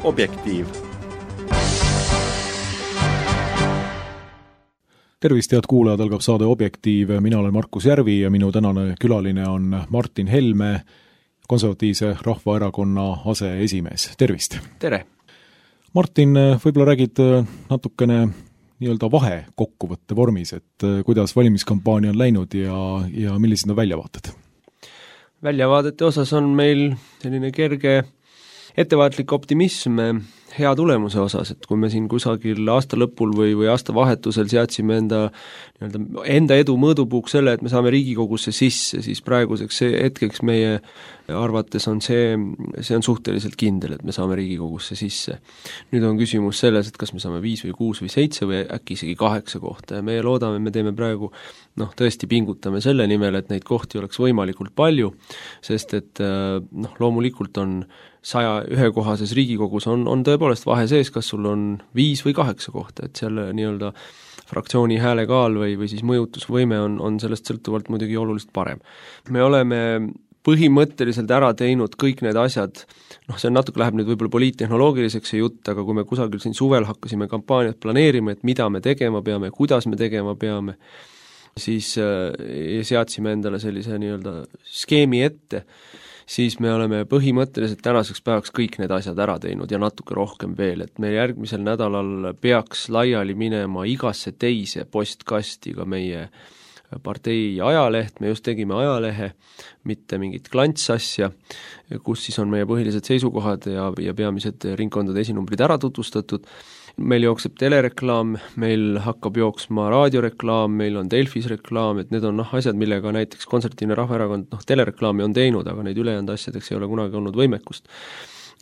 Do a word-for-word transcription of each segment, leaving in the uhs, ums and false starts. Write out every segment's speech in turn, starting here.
Objektiiv. Tervist, head kuulajad, algab saade Objektiiv. Mina olen Markus Järvi ja minu tänane külaline on Martin Helme, Konservatiivse Rahvaerakonna aseesimees. Tervist! Tere! Martin, võib-olla räägid natukene nii-öelda vahe kokkuvõtte vormis, et kuidas valimiskampaania on läinud ja, ja millised on väljavaated? Väljavaadete osas on meil selline kerge ettevaatlik optimism hea tulemuse osas, et kui me siin kusagil aasta lõpul või, või aasta vahetusel seadsime enda, enda edu mõõdupuuks selle, et me saame Riigikogusse sisse, siis praeguseks hetkeks meie arvates on see, see on suhteliselt kindel, et me saame Riigikogusse sisse. Nüüd on küsimus selles, et kas me saame viis või kuus või seitse või äkki isegi kaheksa kohta ja meie loodame, me teeme praegu noh, tõesti pingutame selle nimel, et neid kohti oleks võimalikult palju, sest et noh, loomulikult on saja ühekohases Riigikogus on, on tõepoolest vahe sees, kas sul on viis või kaheksa kohta, et seal nii-öelda fraktsiooni häälekaal või, või siis mõjutusvõime on, on sellest sõltuvalt muidugi oluliselt parem. Me oleme põhimõtteliselt ära teinud kõik need asjad, noh see natuke läheb nüüd võib-olla poliittehnoloogiliseks see jutt, aga kui me kusagil siin suvel hakkasime kampaaniat planeerima, et mida me tegema peame, kuidas me tegema peame, siis äh, seadsime endale sellise nii-öelda skeemi ette, siis me oleme põhimõtteliselt tänaseks päevaks kõik need asjad ära teinud ja natuke rohkem veel, et meil järgmisel nädalal peaks laiali minema igasse teise postkasti ka meie partei ajaleht, me just tegime ajalehe, mitte mingit klantsasja, kus siis on meie põhilised seisukohad ja, ja peamised ringkondade esinumbrid ära tutvustatud. Meil jookseb telereklaam, meil hakkab jooksma raadioreklaam, meil on Delfis reklaam, et need on noh, asjad, millega näiteks Konservatiivne Rahvaerakond noh, telereklaami on teinud, aga neid ülejäänud asjadeks ei ole kunagi olnud võimekust.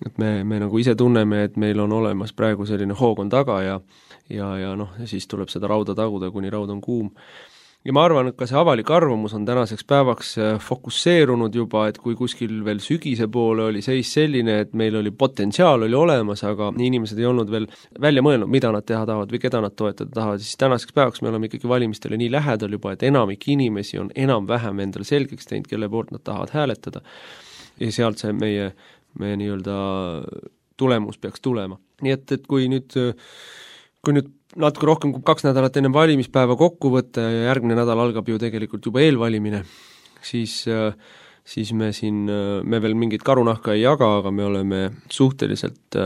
Et me, me nagu ise tunneme, et meil on olemas praegu selline hoog on taga ja, ja, ja noh, ja siis tuleb seda rauda taguda, kuni raud on kuum. Ja ma arvan, et ka see avalik arvamus on tänaseks päevaks fokusseerunud juba, et kui kuskil veel sügise poole oli seis selline, et meil oli potentsiaal oli olemas, aga inimesed ei olnud veel välja mõelnud, mida nad teha tahavad või keda nad toetada tahavad, siis tänaseks päevaks me oleme ikkagi valimistele nii lähedal juba, et enamik inimesi on enam-vähem endale selgeks teinud, kelle poolt nad tahavad hääletada. Ja sealt see meie, meie nii-öelda tulemus peaks tulema. Nii et, et kui nüüd, kui nüüd natuke rohkem kui kaks nädalat enne valimispäeva kokku võtta ja järgmine nädal algab ju tegelikult juba eelvalimine, siis, siis me siin, me veel mingit karunahka ei jaga, aga me oleme suhteliselt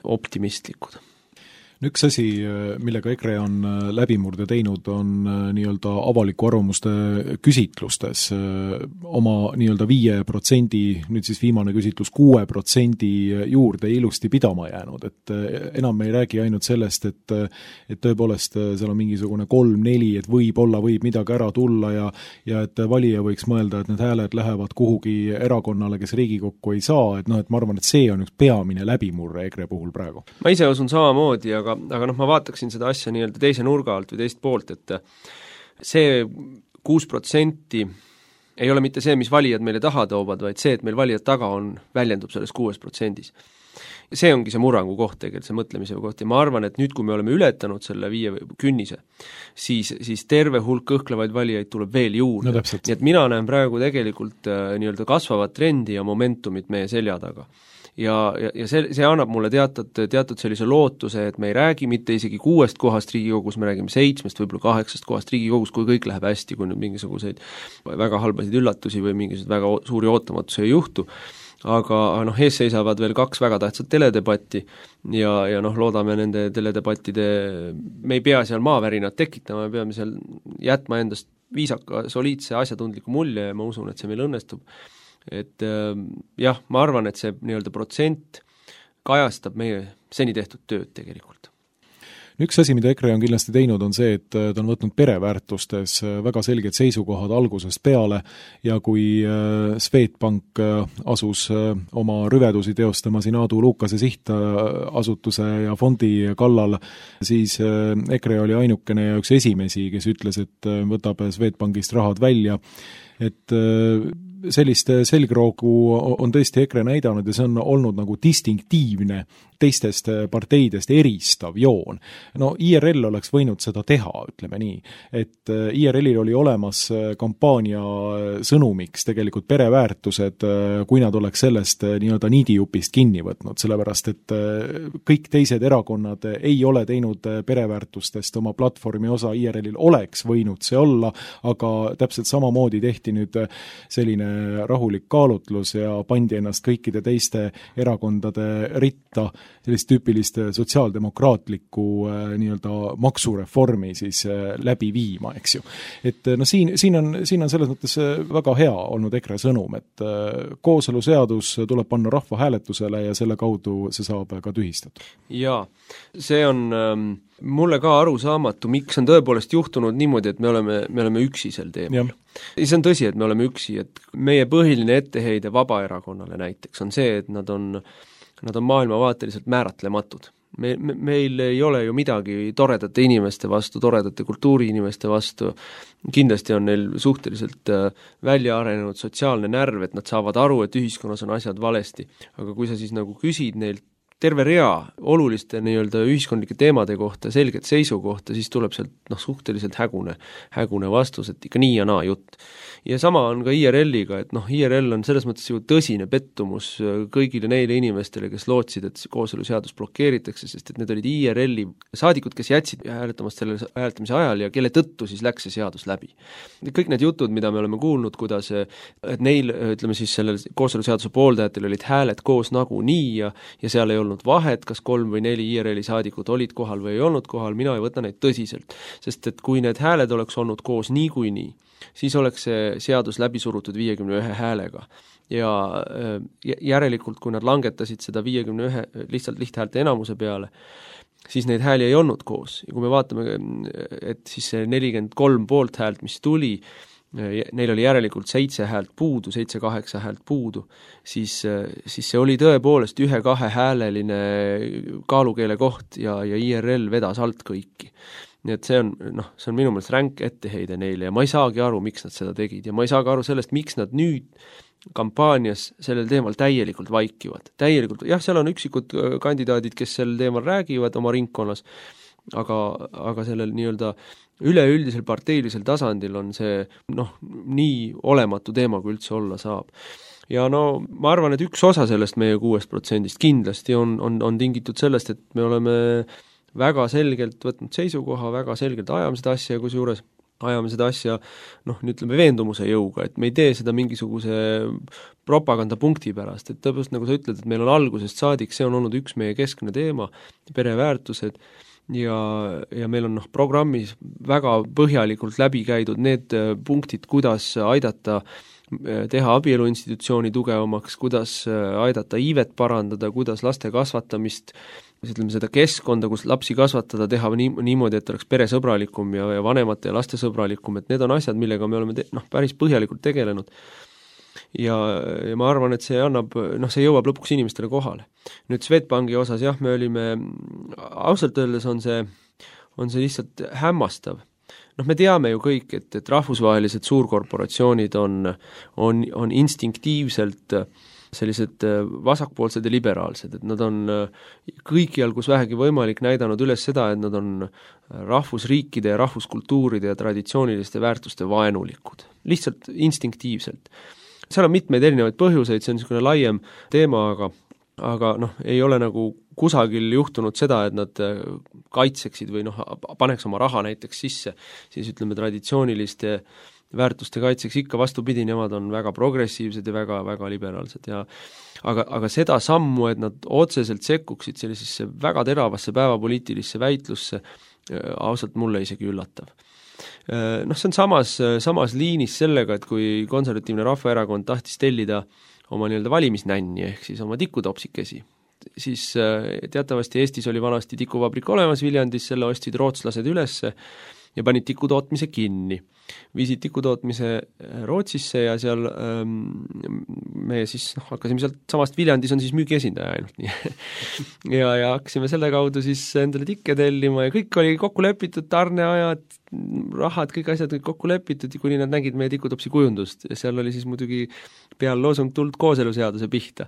optimistlikud. Üks asi, millega EKRE on läbimurde teinud, on nii-öelda avaliku arvamuste küsitlustes oma nii-öelda viie protsendi, nüüd siis viimane küsitlus kuue protsendi juurde ilusti pidama jäänud, et enam me ei räägi ainult sellest, et, et tõepoolest seal on mingisugune kolm, neli, et võib-olla võib midagi ära tulla ja, ja et valija võiks mõelda, et need hääled lähevad kuhugi erakonnale, kes Riigikokku ei saa, et noh, et ma arvan, et see on üks peamine läbimurre EKRE puhul praegu. Ma ise usun samamoodi, aga aga noh, ma vaataksin seda asja nii-öelda teise nurga alt või teist poolt, et see kuus protsenti ei ole mitte see, mis valijad meile taha toovad, vaid see, et meil valijad taga on, väljendub selles kuues protsendis. See ongi see murrangu koht tegelikult, see mõtlemise koht ja ma arvan, et nüüd, kui me oleme ületanud selle viie künnise, siis, siis terve hulk kõhklevaid valijaid tuleb veel juurde. No, nii et mina näen praegu tegelikult äh, nii-öelda kasvavat trendi ja momentumit meie selja taga. Ja, ja, ja see, see annab mulle teatud, teatud sellise lootuse, et me ei räägi mitte isegi kuuest kohast Riigikogus, me räägime seitsmest, võib-olla kaheksast kohast Riigikogus, kui kõik läheb hästi, kui nüüd mingisuguseid väga halbasid üllatusi või mingisuguseid väga suuri ootamatusi ei juhtu. Aga noh, ees seisavad veel kaks väga tähtsat teledebatti ja, ja noh, loodame nende teledebattide, me ei pea seal maavärinat tekitama, me peame seal jätma endast viisaka, soliidse, asjatundliku mulje ja ma usun, et see meil õnnestub. Et jah, ma arvan, et see nii-öelda protsent kajastab meie seni tehtud tööd tegelikult. Üks asi, mida EKRE on kindlasti teinud, on see, et ta on võtnud pereväärtustes väga selged seisukohad algusest peale ja kui Swedbank asus oma rüvedusi teostama siin Aadu Lukase sihtasutuse ja fondi kallal, siis EKRE oli ainukene ja üks esimesi, kes ütles, et võtab Swedbankist rahad välja, et sellist selgroogu on tõesti EKRE näidanud ja see on olnud nagu distinktiivne teistest parteidest eristav joon. No I R L oleks võinud seda teha, ütleme nii, et I R L-il oli olemas kampaania sõnumiks tegelikult pereväärtused, kui nad oleks sellest nii-öelda niidijupist kinni võtnud, sellepärast et kõik teised erakonnad ei ole teinud pereväärtustest oma platvormi osa, I R L-il oleks võinud see olla, aga täpselt samamoodi tehti nüüd selline rahulik kaalutlus ja pandi ennast kõikide teiste erakondade ritta sellist tüüpilist sotsiaaldemokraatlikku nii-öelda maksureformi siis läbi viima, eks ju. Et no siin, siin, on, siin on selles mõttes väga hea olnud EKRE sõnum, et kooseluseadus tuleb panna rahvahääletusele ja selle kaudu see saab ka tühistatud. Jaa, see on ähm, mulle ka arusaamatu, miks on tõepoolest juhtunud niimoodi, et me oleme, me oleme üksi sel teemal. Ja see on tõsi, et me oleme üksi, et meie põhiline etteheide Vabaerakonnale näiteks on see, et nad on, nad on maailmavaateliselt määratlematud. Me, me, meil ei ole ju midagi toredate inimeste vastu, toredate kultuuriinimeste vastu, kindlasti on neil suhteliselt välja arenenud sotsiaalne närv, et nad saavad aru, et ühiskonnas on asjad valesti, aga kui sa siis nagu küsid neilt terve rea oluliste nii-öelda ühiskondlike teemade kohta, selget seisukohta, siis tuleb sealt noh, suhteliselt hägune, hägune vastus, et ikka nii ja naa jutt. Ja sama on ka I R L-iga, et noh, I R L on selles mõttes ju tõsine pettumus kõigile neile inimestele, kes lootsid, et kooseluseadus blokeeritakse, sest et need olid I R L-i saadikud, kes jätsid hääletamast selle hääletamise ajal ja kelle tõttu siis läks see seadus läbi. Kõik need jutud, mida me oleme kuulnud, kuidas et neil, ütleme siis sellel kooseluseaduse pooldajatel olid hääled koos nagu nii ja, ja seal ei olnud vahet, kas kolm või neli I R L-i saadikud olid kohal või ei olnud kohal, mina ei võta neid tõsiselt, sest et kui need hääled oleks olnud koos nii kui nii, siis oleks see seadus läbi surutud viiekümne ühe häälega. Ja järelikult, kui nad langetasid seda viiekümne ühe lihtsalt lihthäälte enamuse peale, siis neid hääli ei olnud koos. Ja kui me vaatame, et siis see nelikümmend kolm poolt häält, mis tuli, neil oli järelikult seitse häält puudu, seitse kaheksa häält puudu, siis, siis see oli tõepoolest ühe-kahe hääleline kaalukeele koht ja, ja I R L vedas alt kõiki. Nii et see on, noh, see on minu meelest ränk etteheide neile ja ma ei saagi aru, miks nad seda tegid ja ma ei saagi aru sellest, miks nad nüüd kampaanias sellel teemal täielikult vaikivad. Täielikult, jah, seal on üksikud kandidaadid, kes sel teemal räägivad oma ringkonnas, aga, aga sellel nii-öelda üleüldisel parteilisel tasandil on see noh, nii olematu teema, kui üldse olla saab. Ja no ma arvan, et üks osa sellest meie kuuest protsendist kindlasti on, on, on tingitud sellest, et me oleme väga selgelt võtnud seisukoha, väga selgelt ajame seda asja ja kusjuures ajame seda asja, noh, ütleme veendumuse jõuga, et me ei tee seda mingisuguse propagandapunkti pärast, et tõepoolest, nagu sa ütled, et meil on algusest saadik, see on olnud üks meie keskne teema, pereväärtused ja, ja meil on noh, programmis väga põhjalikult läbi käidud need punktid, kuidas aidata teha abieluinstitutsiooni tugevamaks, kuidas aidata iivet parandada, kuidas laste kasvatamist, ütleme seda keskkonda, kus lapsi kasvatada, teha nii, niimoodi, et oleks peresõbralikum ja, ja vanemate ja laste sõbralikum, et need on asjad, millega me oleme te, noh, päris põhjalikult tegelenud. Ja, ja ma arvan, et see annab, noh, see jõuab lõpuks inimestele kohale. Nüüd Swedbanki osas, jah, me olime, ausalt öeldes on see, on see lihtsalt hämmastav. Noh, me teame ju kõik, et, et rahvusvahelised suurkorporatsioonid on, on, on instinktiivselt sellised vasakpoolsed ja liberaalsed, et nad on kõikjal, kus vähegi võimalik, näidanud üles seda, et nad on rahvusriikide ja rahvuskultuuride ja traditsiooniliste väärtuste vaenulikud. Lihtsalt instinktiivselt. Seal on mitmeid erinevaid põhjuseid, see on niisugune laiem teema, aga, aga noh, ei ole nagu kusagil juhtunud seda, et nad kaitseksid või noh, paneks oma raha näiteks sisse, siis ütleme traditsiooniliste väärtuste kaitseks ikka vastupidi, nemad on väga progressiivsed ja väga, väga liberaalsed ja aga, aga seda sammu, et nad otseselt sekkuksid sellisesse väga teravasse päevapoliitilisse väitlusse, ausalt mulle isegi üllatav. Noh, see on samas, samas liinis sellega, et kui Konservatiivne Rahvaerakond tahtis tellida oma nii-öelda valimisnänni ehk siis oma tikutopsikesi, siis teatavasti Eestis oli vanasti tikuvabrik olemas Viljandis, selle ostsid rootslased ülesse ja panid tikutootmise kinni. Viisid tikutootmise Rootsisse ja seal ähm, me siis noh, hakkasime sealt samast Viljandis on siis müügiesindaja ainult nii. ja, ja hakkasime selle kaudu siis endale tikke tellima ja kõik oli kokku lepitud, tarneajad, rahad, kõik asjad kõik kokku lepitud, kuni nad nägid meie tikutopsi kujundust ja seal oli siis muidugi peal loosung tuld kooseluseaduse pihta.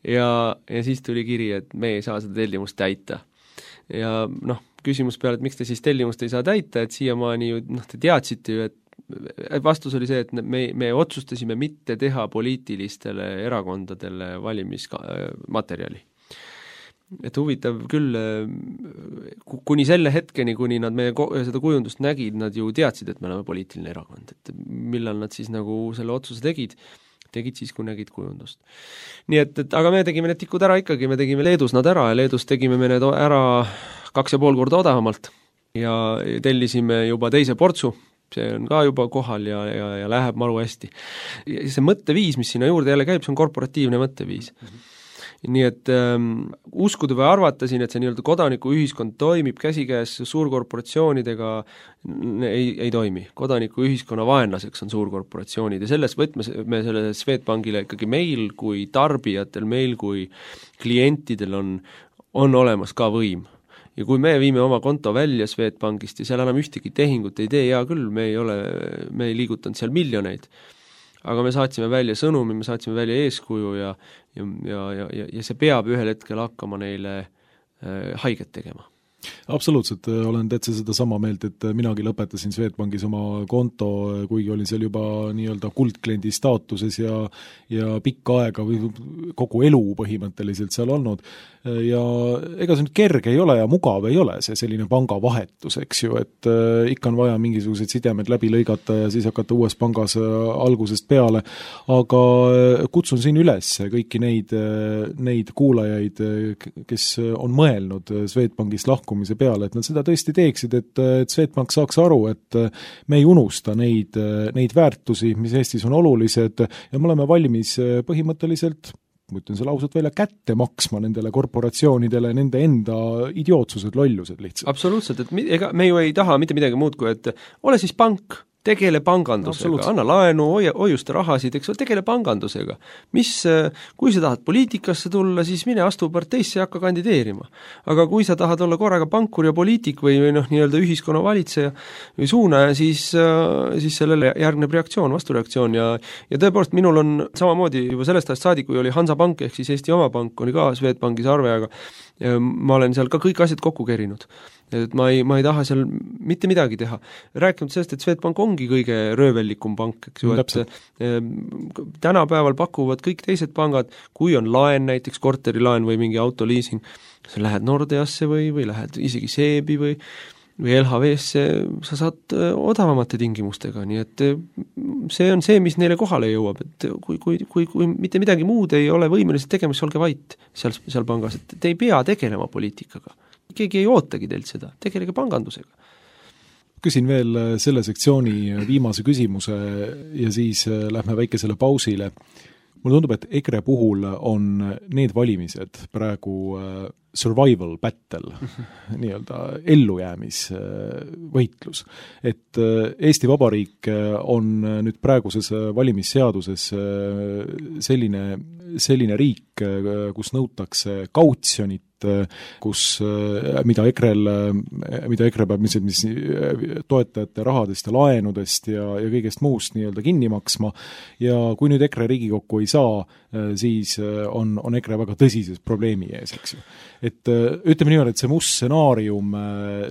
ja, ja siis tuli kiri, et me ei saa seda tellimust täita. Ja noh, küsimus peale, et miks te siis tellimust ei saa täita, et siiamaani ju, noh, te teadsite ju, et vastus oli see, et me, me otsustasime mitte teha poliitilistele erakondadele valimismaterjali. Et huvitav küll, kuni selle hetkeni, kuni nad meie seda kujundust nägid, nad ju teadsid, et me oleme poliitiline erakond, et millal nad siis nagu selle otsuse tegid, tegid siis, kui nägid kujundust. Nii et, et aga me tegime need tikud ära ikkagi, me tegime Leedus nad ära ja Leedus tegime me need ära kaks ja pool korda odavamalt ja tellisime juba teise portsu, see on ka juba kohal ja, ja, ja läheb maru hästi. Ja see mõtteviis, mis sinna juurde jälle käib, see on korporatiivne mõtteviis. Mm-hmm. Nii et ähm, uskuda või arvata siin, et see nii-öelda kodanikuühiskond toimib käsikäes suurkorporatsioonidega, ei, ei toimi. Kodanikuühiskonna vaenlaseks on suurkorporatsioonid ja selles võtmes me selle Swedbankile ikkagi meil kui tarbijatel, meil kui klientidel on, on olemas ka võim. Ja kui me viime oma konto välja Swedbankist ja seal enam ühtegi tehingut ei tee, hea küll, me ei ole, me ei liigutanud seal miljoneid, aga me saatsime välja sõnumi, me saatsime välja eeskuju ja, ja, ja, ja, ja see peab ühel hetkel hakkama neile äh, haiget tegema. Absoluutselt, olen täitsa seda sama meelt, et minagi lõpetasin Swedbankis oma konto, kuigi olin seal juba nii-öelda kuldkliendi staatuses ja, ja pikka aega või kogu elu põhimõtteliselt seal olnud. Ja ega see nüüd kerge ei ole ja mugav ei ole see selline pangavahetus, eks ju, et äh, ikka on vaja mingisugused sidemed läbi lõigata ja siis hakata uues pangas äh, algusest peale, aga kutsun siin üles kõiki neid, neid kuulajaid, kes on mõelnud Swedbankist lahkumise peale, et nad seda tõesti teeksid, et, et Swedbank saaks aru, et me ei unusta neid, neid väärtusi, mis Eestis on olulised ja me oleme valmis põhimõtteliselt ma ütlen selle ausalt välja, kätte maksma nendele korporatsioonidele, nende enda idiootsused, lollused lihtsalt. Absoluutselt, et mi, ega me ju ei taha mitte midagi muud kui, et ole siis pank, tegele pangandusega, anna laenu, hoia, hoiusta rahasid, eks ole, tegele pangandusega. Mis, kui sa tahad poliitikasse tulla, siis mine astu parteisse ja hakka kandideerima. Aga kui sa tahad olla korraga pankur ja poliitik või, või noh, nii-öelda ühiskonna valitseja või suunaja, siis, siis sellele järgneb reaktsioon, vastureaktsioon ja, ja tõepoolest minul on samamoodi juba sellest ajast saadik, kui oli Hansapank ehk siis Eesti oma pank, oli ka Swedbankis arve, aga ma olen seal ka kõik asjad kokku kerinud. Et ma ei, ma ei taha seal mitte midagi teha. Rääkinud sellest, et Swedbank ongi kõige röövellikum pank, eks ju, et äh, tänapäeval pakuvad kõik teised pangad, kui on laen, näiteks korterilaen või mingi autoliising, sa lähed Nordeasse või, või lähed isegi Seebi või, või L H V-sse, sa saad odavamate tingimustega, nii et see on see, mis neile kohale jõuab, et kui, kui, kui, kui mitte midagi muud ei ole võimelised tegema, siis olge vait seal, seal pangas, et te ei pea tegelema poliitikaga. Keegi ei ootagi teilt seda, tegelege pangandusega. Küsin veel selle sektsiooni viimase küsimuse ja siis lähme väikesele pausile. Mulle tundub, et EKRE puhul on need valimised praegu survival battle, nii-öelda ellujäämisvõitlus. Et Eesti Vabariik on nüüd praeguses valimisseaduses selline, selline riik, kus nõutakse kautsjonit, kus, mida EKRE-l, mida EKRE peab mis, mis toetajate rahadest ja laenudest ja, ja kõigest muust nii-öelda kinni maksma ja kui nüüd EKRE Riigikokku ei saa, siis on, on EKRE väga tõsises probleemi ees, eks ju. Et ütleme niimoodi, et see must stsenaarium,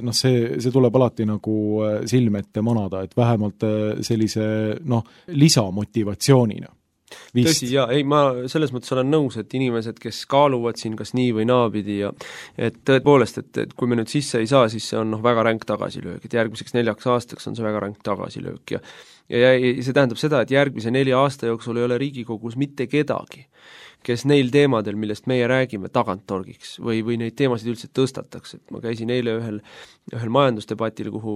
noh, see, see tuleb alati nagu silme ette manada, et vähemalt sellise, noh, lisamotivatsioonina. Vist. Tõsi, jaa, ei, ma selles mõttes olen nõus, et inimesed, kes kaaluvad siin kas nii või naapidi ja et tõepoolest, et, et kui me nüüd sisse ei saa, siis see on noh, väga ränk tagasilöök, et järgmiseks neljaks aastaks on see väga ränk tagasilöök ja ja, ja see tähendab seda, et järgmise nelja aasta jooksul ei ole Riigikogus mitte kedagi, kes neil teemadel, millest meie räägime, tagant torgiks või, või neid teemasid üldse tõstataks, et ma käisin eile ühel, ühel majandusdebatil, kuhu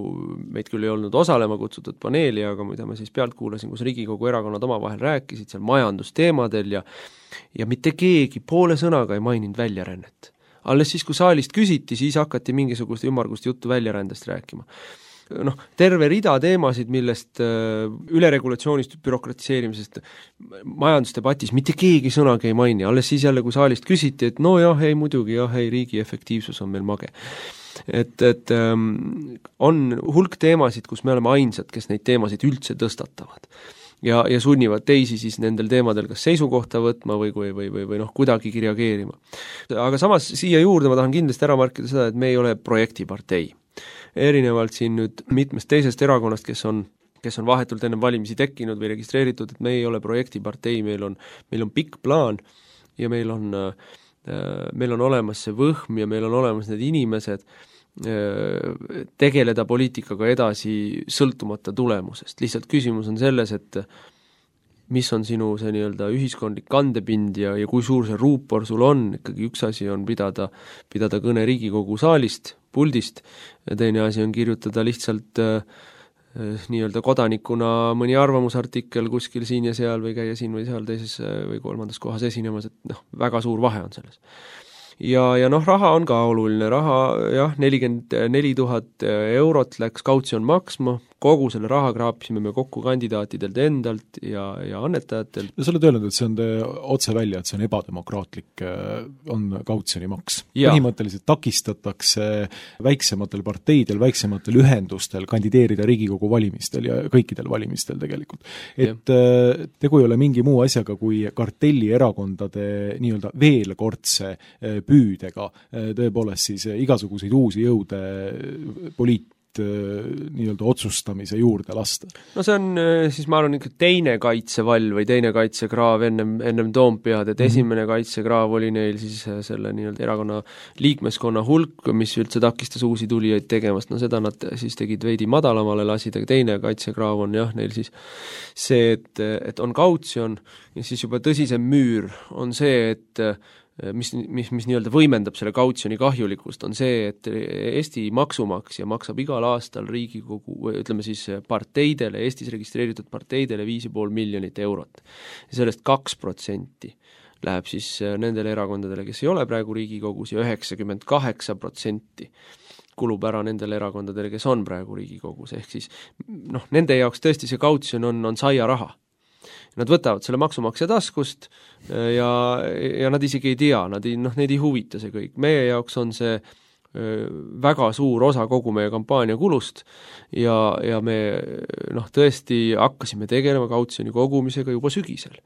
meid küll ei olnud osalema kutsutud paneeli, aga mida ma siis pealt kuulasin, kus Riigikogu erakonnad omavahel rääkisid seal majandusteemadel ja ja mitte keegi poole sõnaga ei maininud väljarännet. Alles siis, kui saalist küsiti, siis hakati mingisugust ümmargust juttu väljarändest rääkima. Noh, terve rida teemasid, millest äh, üleregulatsioonist, bürokratiseerimisest majandusdebatis mitte keegi sõnagi ei maini, alles siis jälle, kui saalist küsiti, et no jah, ei muidugi, jah, ei, riigi efektiivsus on meil mage. Et, et ähm, on hulk teemasid, kus me oleme ainsad, kes neid teemasid üldse tõstatavad. ja, ja sunnivad teisi siis nendel teemadel kas seisukohta võtma või, või, või, või, või noh, kuidagigi reageerima. Aga samas siia juurde ma tahan kindlasti ära markida seda, et me ei ole projektipartei. Erinevalt siin nüüd mitmest teisest erakonnast, kes on kes on vahetult enne valimisi tekkinud või registreeritud, et me ei ole projektipartei, meil on, meil on pikk plaan ja meil on, meil on olemas see võhm ja meil on olemas need inimesed tegeleda poliitikaga edasi sõltumata tulemusest. Lihtsalt küsimus on selles, et mis on sinu see nii-öelda ühiskondlik kandepind ja, ja kui suur see ruupor sul on, ikkagi üks asi on pidada, pidada kõne Riigikogu saalist, puldist, ja teine asi on kirjutada lihtsalt äh, nii-öelda kodanikuna mõni arvamusartikkel kuskil siin ja seal või käia siin või seal teises või kolmandas kohas esinemas, et noh, väga suur vahe on selles. Ja, ja noh, raha on ka oluline, raha jah, nelikümmend neli tuhat eurot läks kautsjon maksma, kogu selle raha kraapisime me kokku kandidaatidelt endalt ja, ja annetajatelt. Ja sa oled öelnud, et see on te, otse välja, et see on ebademokraatlik, on kautsjoni maks. Põhimõtteliselt takistatakse väiksematel parteidel, väiksematel ühendustel kandideerida Riigikogu valimistel ja kõikidel valimistel tegelikult. Et ja. Tegu ei ole mingi muu asjaga kui kartellierakondade nii-öelda veelkordse püüdega tõepoolest siis igasuguseid uusi jõude poliit nii-öelda otsustamise juurde lasta. No see on siis, ma arvan, ikka teine kaitsevall või teine kaitsekraav ennem, ennem Toompead, et mm-hmm. esimene kaitsekraav oli neil siis selle nii-öelda erakonna liikmeskonna hulk, mis üldse takistas uusi tulijaid tegemast, no seda nad siis tegid veidi madalamale lasid, aga teine kaitsekraav on jah, neil siis see, et, et on kautsjon ja siis juba tõsisem müür on see, et mis, mis, mis nii-öelda võimendab selle kautsjoni kahjulikkust, on see, et Eesti maksumaksja maksab igal aastal Riigikogu, ütleme siis parteidele, Eestis registreeritud parteidele viis ja pool miljonit eurot. Ja sellest kaks protsenti läheb siis nendele erakondadele, kes ei ole praegu Riigikogus ja üheksakümmend kaheksa protsenti kulub ära nendele erakondadele, kes on praegu Riigikogus, ehk siis noh, nende jaoks tõesti see kautsjon on, on saia raha. Nad võtavad selle maksumaksja taskust ja, ja nad isegi ei tea, nad ei, noh, neid ei huvita see kõik. Meie jaoks on see väga suur osa kogu meie kampaania kulust ja, ja me noh, tõesti hakkasime tegelema kautsjoni kogumisega juba sügisel.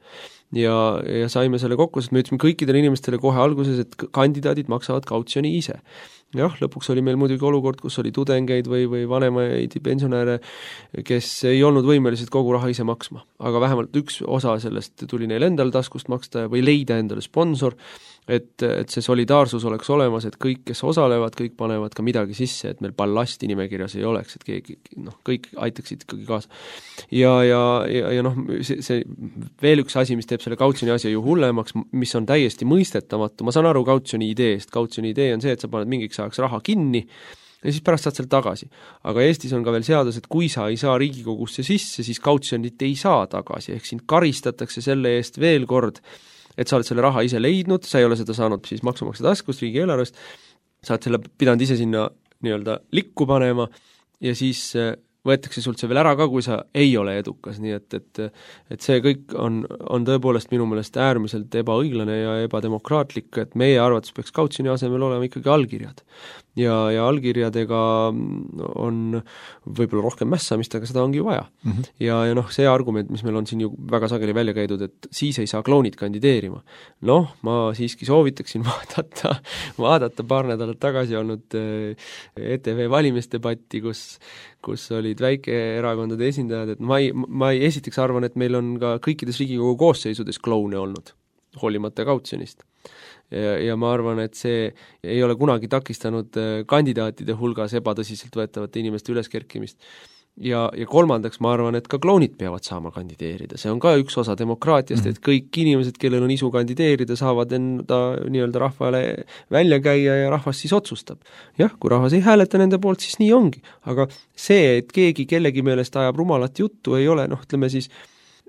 Ja, ja saime selle kokku, sest me ütlesime kõikidele inimestele kohe alguses, et kandidaadid maksavad kautsjoni ise. Jah, lõpuks oli meil muidugi olukord, kus oli tudengeid või, või vanemaid pensionäre, kes ei olnud võimelised kogu raha ise maksma. Aga vähemalt üks osa sellest tuli neil endal taskust maksta või leida endale sponsor, et, et see solidaarsus oleks olemas, et kõik, kes osalevad, kõik panevad ka midagi sisse, et meil ballasti nimekirjas ei oleks, et keegi, noh, kõik aitaksid ikkagi kaasa. Ja, ja, ja, ja noh, see, see veel üks asi, mis teeb selle kautsjoni asja ju hullemaks, mis on täiesti mõistetamatu, ma saan aru kautsjoni ideest, kautsjoni idee on see, et sa paned mingiks ajaks raha kinni ja siis pärast saad sealt tagasi. Aga Eestis on ka veel seadus, et kui sa ei saa Riigikogusse sisse, siis kautsjonit ei saa tagasi, ehk sind karistatakse selle eest veel kord, et sa oled selle raha ise leidnud, sa ei ole seda saanud siis maksumaksja taskust, riigieelarvest, sa oled selle pidanud ise sinna nii-öelda likku panema ja siis võetakse sult see veel ära ka, kui sa ei ole edukas, nii et, et, et see kõik on, on tõepoolest minu meelest äärmiselt ebaõiglane ja ebademokraatlik, et meie arvates peaks kautsjoni asemel olema ikkagi allkirjad. Ja, ja allkirjadega on võib-olla rohkem mässamist, aga seda ongi vaja. Mm-hmm. Ja, ja noh, see argument, mis meil on siin ju väga sageli välja käidud, et siis ei saa kloonid kandideerima. Noh, ma siiski soovitaksin vaadata, vaadata paar nädalat tagasi olnud E T V valimisdebatti, kus, kus olid väikeerakondade esindajad, et ma ei, ma ei esiteks arvan, et meil on ka kõikides Riigikogu koosseisudes kloune olnud, hoolimata kautsjonist. Ja, ja ma arvan, et see ei ole kunagi takistanud kandidaatide hulgas ebatõsiselt võetavate inimeste üleskerkimist. Ja, ja kolmandaks ma arvan, et ka kloonid peavad saama kandideerida. See on ka üks osa demokraatiast, et kõik inimesed, kellel on isu kandideerida, saavad enda nii-öelda rahvale välja käia ja rahvas siis otsustab. Jah, kui rahvas ei hääleta nende poolt, siis nii ongi. Aga see, et keegi kellegi meelest ajab rumalat juttu, ei ole, noh, ütleme siis,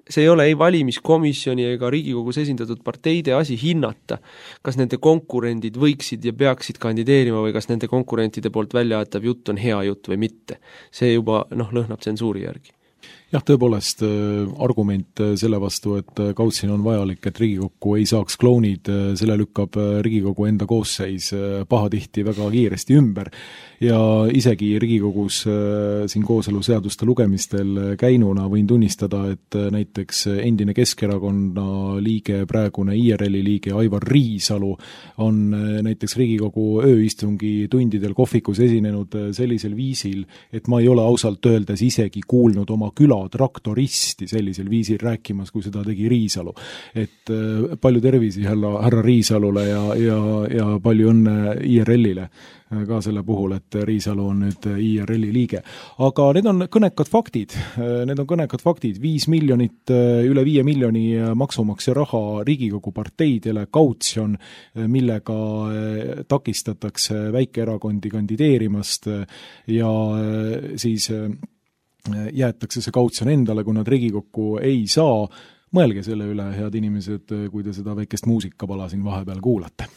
see ei ole ei valimiskomisjoni ega Riigikogus esindatud parteide asi hinnata, kas nende konkurendid võiksid ja peaksid kandideerima või kas nende konkurentide poolt välja aetav jutt on hea jutt või mitte. See juba noh, lõhnab tsensuuri järgi. jah, tõepoolest argument selle vastu, et Kaudsin on vajalik, et Riigikokku ei saaks klounid, selle lükkab Riigikogu enda koosseis pahatihti väga kiiresti ümber ja isegi Riigikogus siin kooseluseaduste lugemistel käinuna võin tunnistada, et näiteks endine Keskerakonna liige, praegune I R L-i liige Aivar Riisalu on näiteks Riigikogu ööistungi tundidel kohvikus esinenud sellisel viisil, et ma ei ole ausalt öeldes isegi kuulnud oma küla traktoristi sellisel viisil rääkimas, kui seda tegi Riisalu. Et palju tervisi härra, härra Riisalule ja, ja, ja palju õnne I R L-ile ka selle puhul, et Riisalu on nüüd I R L-i liige. Aga need on kõnekad faktid, need on kõnekad faktid, viis miljonit, üle viie miljoni maksumaksja raha Riigikogu parteidele, kautsjon, millega takistatakse väikeerakondi kandideerimast ja siis jäetakse see kautsjon endale, kui nad Riigikokku ei saa. Mõelge selle üle, head inimesed, kui te seda väikest muusikapala siin vahepeal kuulate.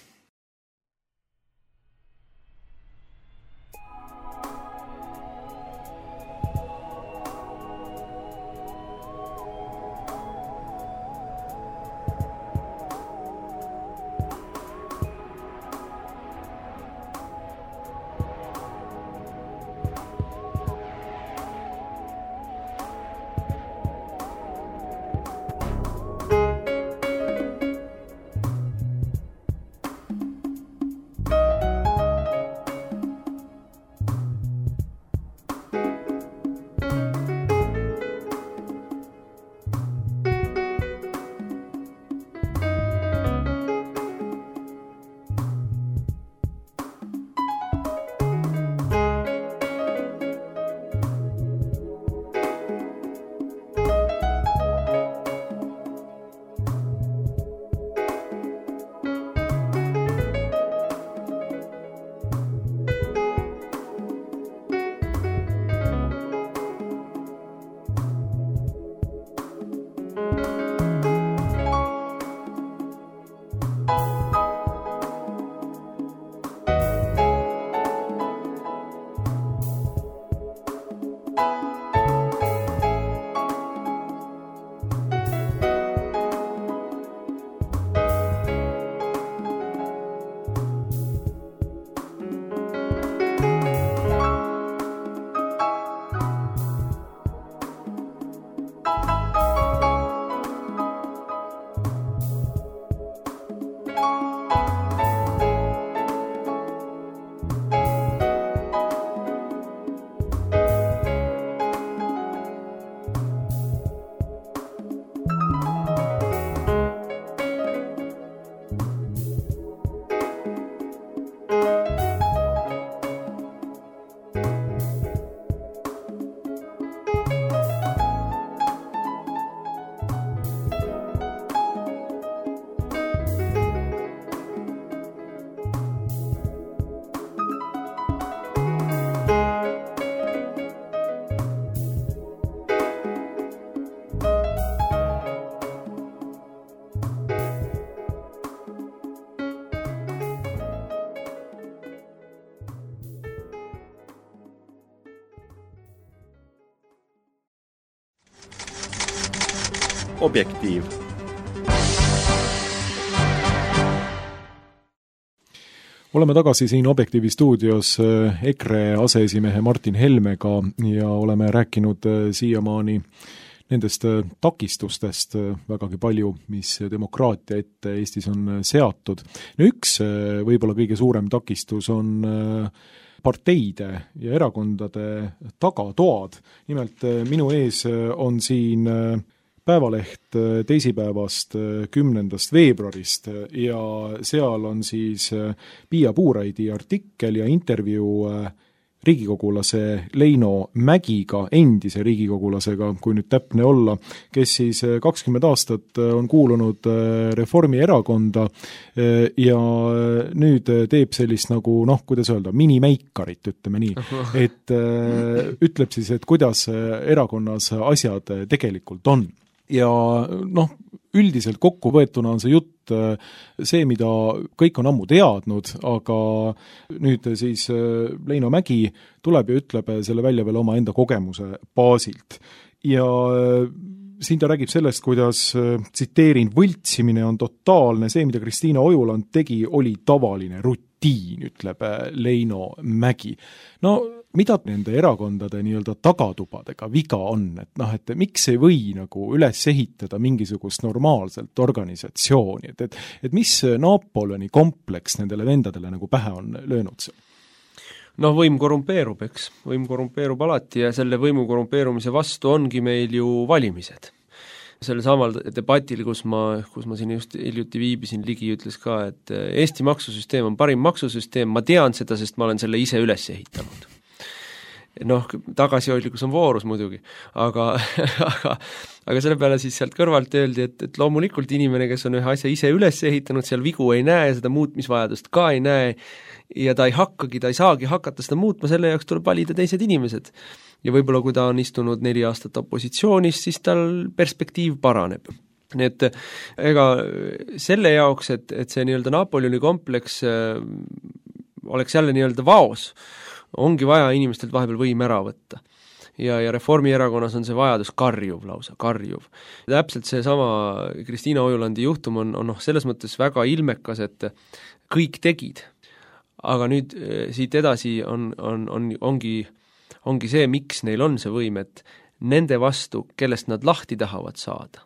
Objektiiv. Oleme tagasi siin Objektiivi stuudios EKRE aseesimehe Martin Helmega ja oleme rääkinud siiamaani nendest takistustest vägagi palju, mis demokraatia ette Eestis on seatud. No üks võib-olla kõige suurem takistus on parteide ja erakondade tagatoad. Nimelt minu ees on siin Päevaleht teisipäevast kümnendast veebruarist ja seal on siis Piia Puuraidi artikkel ja intervjuu riigikogulase Leino Mägiga, endise riigikogulasega, kui nüüd täpne olla, kes siis kakskümmend aastat on kuulunud Reformierakonda ja nüüd teeb sellist nagu, noh, kuidas öelda, minimeikarit, ütleme nii. Et ütleb siis, et kuidas erakonnas asjad tegelikult on. Ja noh, üldiselt kokkuvõetuna on see jutt see, mida kõik on ammu teadnud, aga nüüd siis Leino Mägi tuleb ja ütleb selle välja veel oma enda kogemuse baasilt. ja siin ta räägib sellest, kuidas, tsiteerin, võltsimine on totaalne, see, mida Kristiina Ojuland tegi, oli tavaline rutiin, ütleb Leino Mägi. No mida nende erakondade nii-öelda tagatubadega viga on, et noh, et miks ei või nagu üles ehitada mingisugust normaalselt organisatsiooni, et, et, et mis Napoleoni kompleks nendele vendadele nagu pähe on löönud seal? Noh, võim korrumpeerub, eks. Võim korrumpeerub alati ja selle võimu korrumpeerumise vastu ongi meil ju valimised. Selle samal debatil, kus ma, kus ma siin just hiljuti viibisin, Ligi ütles ka, et Eesti maksusüsteem on parim maksusüsteem, ma tean seda, sest ma olen selle ise üles ehitanud. Noh, tagasihoidlikkus on voorus muidugi, aga, aga, aga selle peale siis sealt kõrvalt öeldi, et, et loomulikult inimene, kes on ühe asja ise üles ehitanud, seal vigu ei näe, seda muutmisvajadust ka ei näe ja ta ei hakkagi, ta ei saagi hakata seda muutma, selle jaoks tuleb valida teised inimesed. Ja võib-olla kui ta on istunud neli aastat opositsioonis, siis tal perspektiiv paraneb. Nii et ega selle jaoks, et, et see nii-öelda Napoleoni kompleks äh, oleks jälle nii-öelda vaos, ongi vaja inimestelt vahepeal võim ära võtta. Ja, ja Reformierakonnas on see vajadus karjuv lausa, karjuv. Täpselt see sama Kristiina Ojulandi juhtum on, on noh, selles mõttes väga ilmekas, et kõik tegid. Aga nüüd siit edasi on, on, on, ongi, ongi see, miks neil on see võim, et nende vastu, kellest nad lahti tahavad saada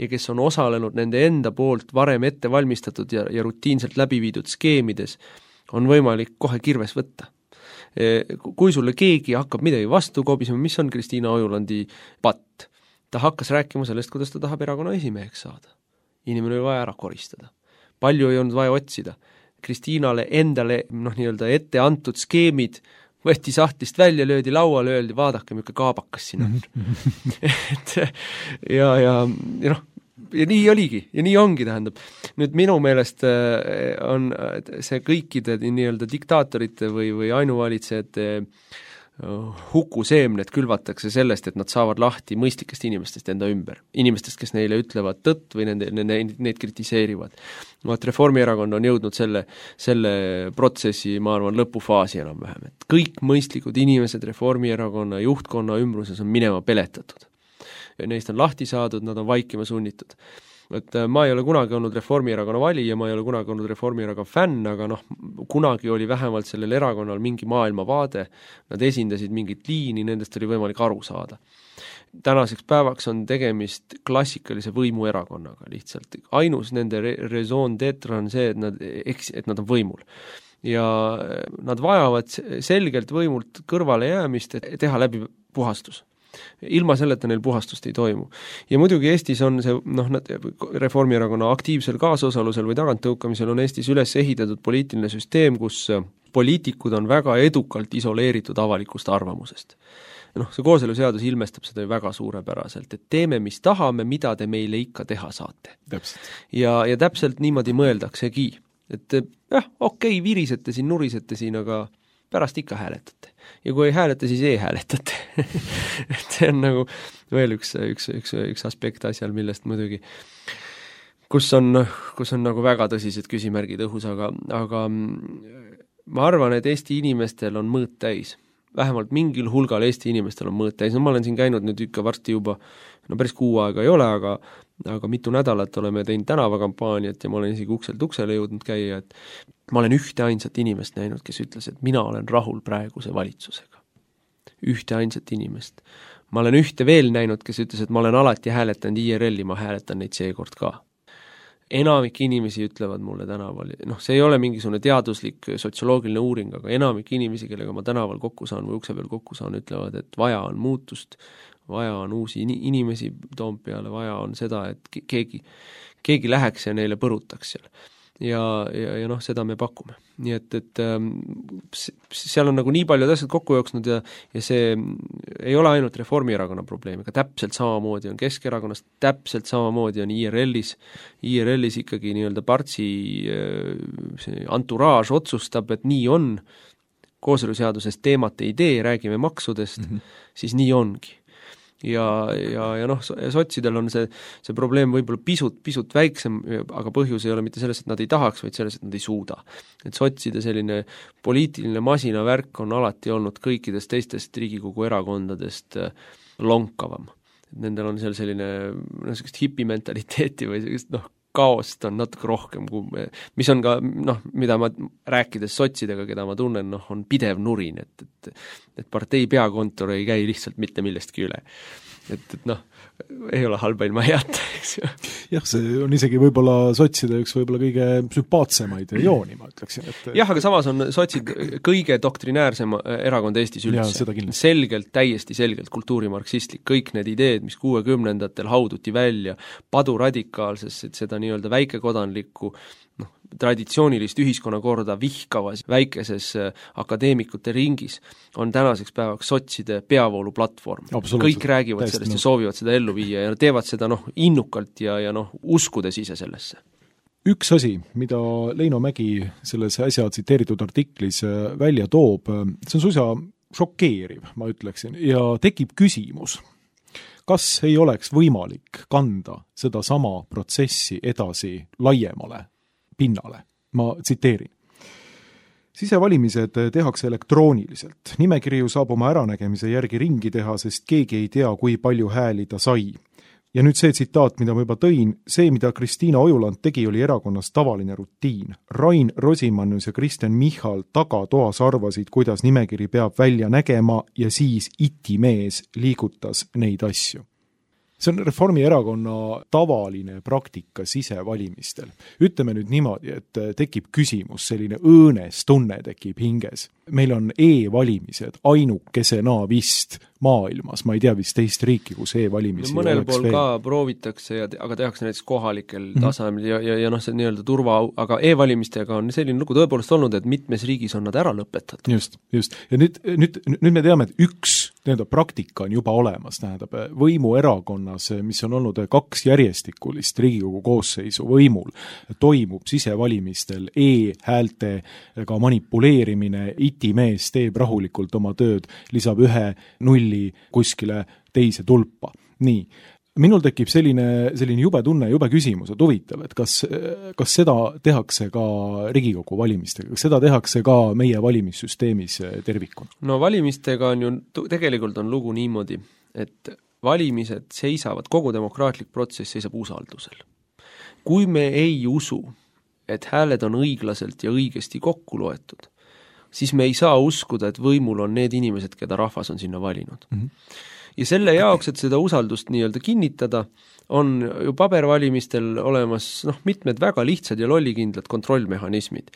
ja kes on osalenud nende enda poolt varem ette valmistatud ja, ja rutiinselt läbi viidud skeemides, on võimalik kohe kirves võtta. Kui sulle keegi hakkab midagi vastu kobisema, mis on Kristiina Ojulandi patt? Ta hakkas rääkima sellest, kuidas ta tahab erakonna esimeheks saada. Inimene oli vaja ära koristada. Palju ei olnud vaja otsida. Kristiinale endale noh, nii-öelda ette antud skeemid võeti sahtlist välja, löödi lauale, öeldi, vaadake, milline kaabakas siin on. et, ja, ja, ja noh, ja nii oligi, ja nii ongi, tähendab. Nüüd minu meelest on see kõikide nii-öelda diktaatorite või, või ainuvalitsejate hukuseemned külvatakse sellest, et nad saavad lahti mõistlikest inimestest enda ümber. Inimestest, kes neile ütlevad tõtt või nende, nende, neid kritiseerivad. No, et Reformierakond on jõudnud selle, selle protsessi, ma arvan, lõpufaasi enam-vähem. Et kõik mõistlikud inimesed Reformierakonna juhtkonna ümbruses on minema peletatud. Neist on lahti saadud, nad on vaikima sunnitud. Et ma ei ole kunagi olnud Reformierakonna valija, ma ei ole kunagi olnud Reformierakonna fänn, aga noh, kunagi oli vähemalt sellel erakonnal mingi maailmavaade, nad esindasid mingit liini, nendest oli võimalik aru saada. Tänaseks päevaks on tegemist klassikalise võimuerakonnaga lihtsalt. Ainus nende raison d'être on see, et nad, et nad on võimul. Ja nad vajavad selgelt võimult kõrvale jäämist, et teha läbi puhastus. Ilma selleta neil puhastust ei toimu. Ja muidugi Eestis on see, noh, Reformierakonna aktiivsel kaasosalusel või taganttõukamisel on Eestis üles ehitatud poliitiline süsteem, kus poliitikud on väga edukalt isoleeritud avalikust arvamusest. Noh, see kooseluseadus ilmestab seda ju väga suurepäraselt, et teeme, mis tahame, mida te meile ikka teha saate. Täpselt. Ja, ja täpselt niimoodi mõeldaksegi. Et jah, okei, virisete siin, nurisete siin, aga pärast ikka hääletate. Ja kui ei hääleta, siis ei hääletate. et see on nagu veel üks, üks, üks, üks aspekt asjal, millest muidugi, kus on, kus on nagu väga tõsised küsimärgid õhus, aga, aga ma arvan, et Eesti inimestel on mõõt täis. Vähemalt mingil hulgal Eesti inimestel on mõõt täis. No ma olen siin käinud nüüd ikka varsti juba, no päris kuu aega ei ole, aga, aga mitu nädalat oleme teinud tänavakampaaniat ja ma olen isegi ukselt uksele jõudnud käia, et ma olen ühte ainsat inimest näinud, kes ütles, et mina olen rahul praeguse valitsusega. Ühte ainsat inimest. Ma olen ühte veel näinud, kes ütles, et ma olen alati hääletanud I R L-i, ma hääletan neid seekord ka. Enamik inimesi ütlevad mulle tänaval, noh, see ei ole mingisugune teaduslik sotsioloogiline uuring, aga enamik inimesi, kellega ma tänaval kokku saan või ukse peal kokku saan, ütlevad, et vaja on muutust, vaja on uusi inimesi Toompeale, vaja on seda, et keegi, keegi läheks ja neile põrutaks seal. Ja, ja, ja noh, seda me pakume. Nii et, et seal on nagu nii palju asjad kokku jooksnud ja, ja see ei ole ainult Reformierakonna probleem, aga täpselt samamoodi on Keskerakonnast, täpselt samamoodi on I R L-is. I R L-is ikkagi nii-öelda partsi entourage otsustab, et nii on, kooseluseadusest teemat ei tee, räägime maksudest, mm-hmm. siis nii ongi. Ja, ja, ja noh, sotsidel on see, see probleem võib-olla pisut, pisut väiksem, aga põhjus ei ole mitte selles, et nad ei tahaks, vaid selles, et nad ei suuda. Et sotside selline poliitiline masinavärk on alati olnud kõikidest teistest Riigikogu erakondadest lonkavam. nendel on seal selline no, sellist hipimentaliteeti või sellist noh, kaost on natuke rohkem, mis on ka noh, mida ma rääkides sotsidega, keda ma tunnen, noh, on pidev nurin, et, et, et partei peakontor ei käi lihtsalt mitte millestki üle. Et, et noh, ei ole halba ilma heata, eks ju. Jah, see on isegi võib-olla sotside üks võib-olla kõige sümpaatsemaid jooni, ma ütleksin. Et... jah, aga samas on sotsid kõige doktrinäärsem erakond Eestis üldse. Selgelt, täiesti selgelt kultuurimarksistlik. Kõik need ideed, mis kuuekümnendatel hauduti välja paduradikaalses, et seda nii-öelda väikekodanlikku noh, traditsioonilist ühiskonnakorda vihkavas väikeses akadeemikute ringis on tänaseks päevaks sotside peavooluplatvorm. Kõik räägivad Täist, sellest no. ja soovivad seda ellu viia ja teevad seda noh, innukalt ja, ja noh, uskudes ise sellesse. Üks asi, mida Leino Mägi selles äsja tsiteeritud artiklis välja toob, see on suisa šokeeriv, ma ütleksin, ja tekib küsimus, kas ei oleks võimalik kanda seda sama protsessi edasi laiemale pinnale. Ma tsiteerin. Sisevalimised tehakse elektrooniliselt. Nimekirju saab oma äranägemise järgi ringi teha, sest keegi ei tea, kui palju hääli ta sai. Ja nüüd see tsitaat, mida ma juba tõin, see, mida Kristiina Ojuland tegi, oli erakonnas tavaline rutiin. Rain Rosimannus ja Kristjan Michal tagatoas arvasid, kuidas nimekiri peab välja nägema ja siis itimees liigutas neid asju. See on Reformierakonna tavaline praktika sisevalimistel. Ütleme nüüd niimoodi, et tekib küsimus, selline õõnes tunne tekib hinges. Meil on e-valimised ainukesena vist maailmas, ma ei tea vist teist riiki, kus e-valimisi no, mõnel pool veel. Ka proovitakse, ja, aga tehakse näiteks kohalikel mm-hmm. tasemel ja, ja, ja noh, see nii-öelda turva, aga e-valimistega on selline lugu tõepoolest olnud, et mitmes riigis on nad ära lõpetatud. Just, just. Ja nüüd, nüüd, nüüd me teame, et üks nii-öelda praktika on juba olemas, tähendab võimuerakonnas, mis on olnud kaks järjestikulist Riigikogu koosseisu võimul, toimub sisevalimistel e-häältega manipuleerimine, itimees teeb rahulikult oma tööd, lisab ühe nulli kuskile teise tulpa. Nii, minul tekib selline, selline jube tunne, jube küsimus, et huvitav, et kas, kas seda tehakse ka Riigikogu valimistega, kas seda tehakse ka meie valimissüsteemis tervikuna? No valimistega on ju, tegelikult on lugu niimoodi, et valimised seisavad, kogu demokraatlik protsess seisab usaldusel. Kui me ei usu, et hääled on õiglaselt ja õigesti kokku loetud, siis me ei saa uskuda, et võimul on need inimesed, keda rahvas on sinna valinud. Mm-hmm. Ja selle jaoks, et seda usaldust nii-öelda kinnitada, on ju pabervalimistel olemas noh, mitmed väga lihtsad ja lollikindlad kontrollmehhanismid.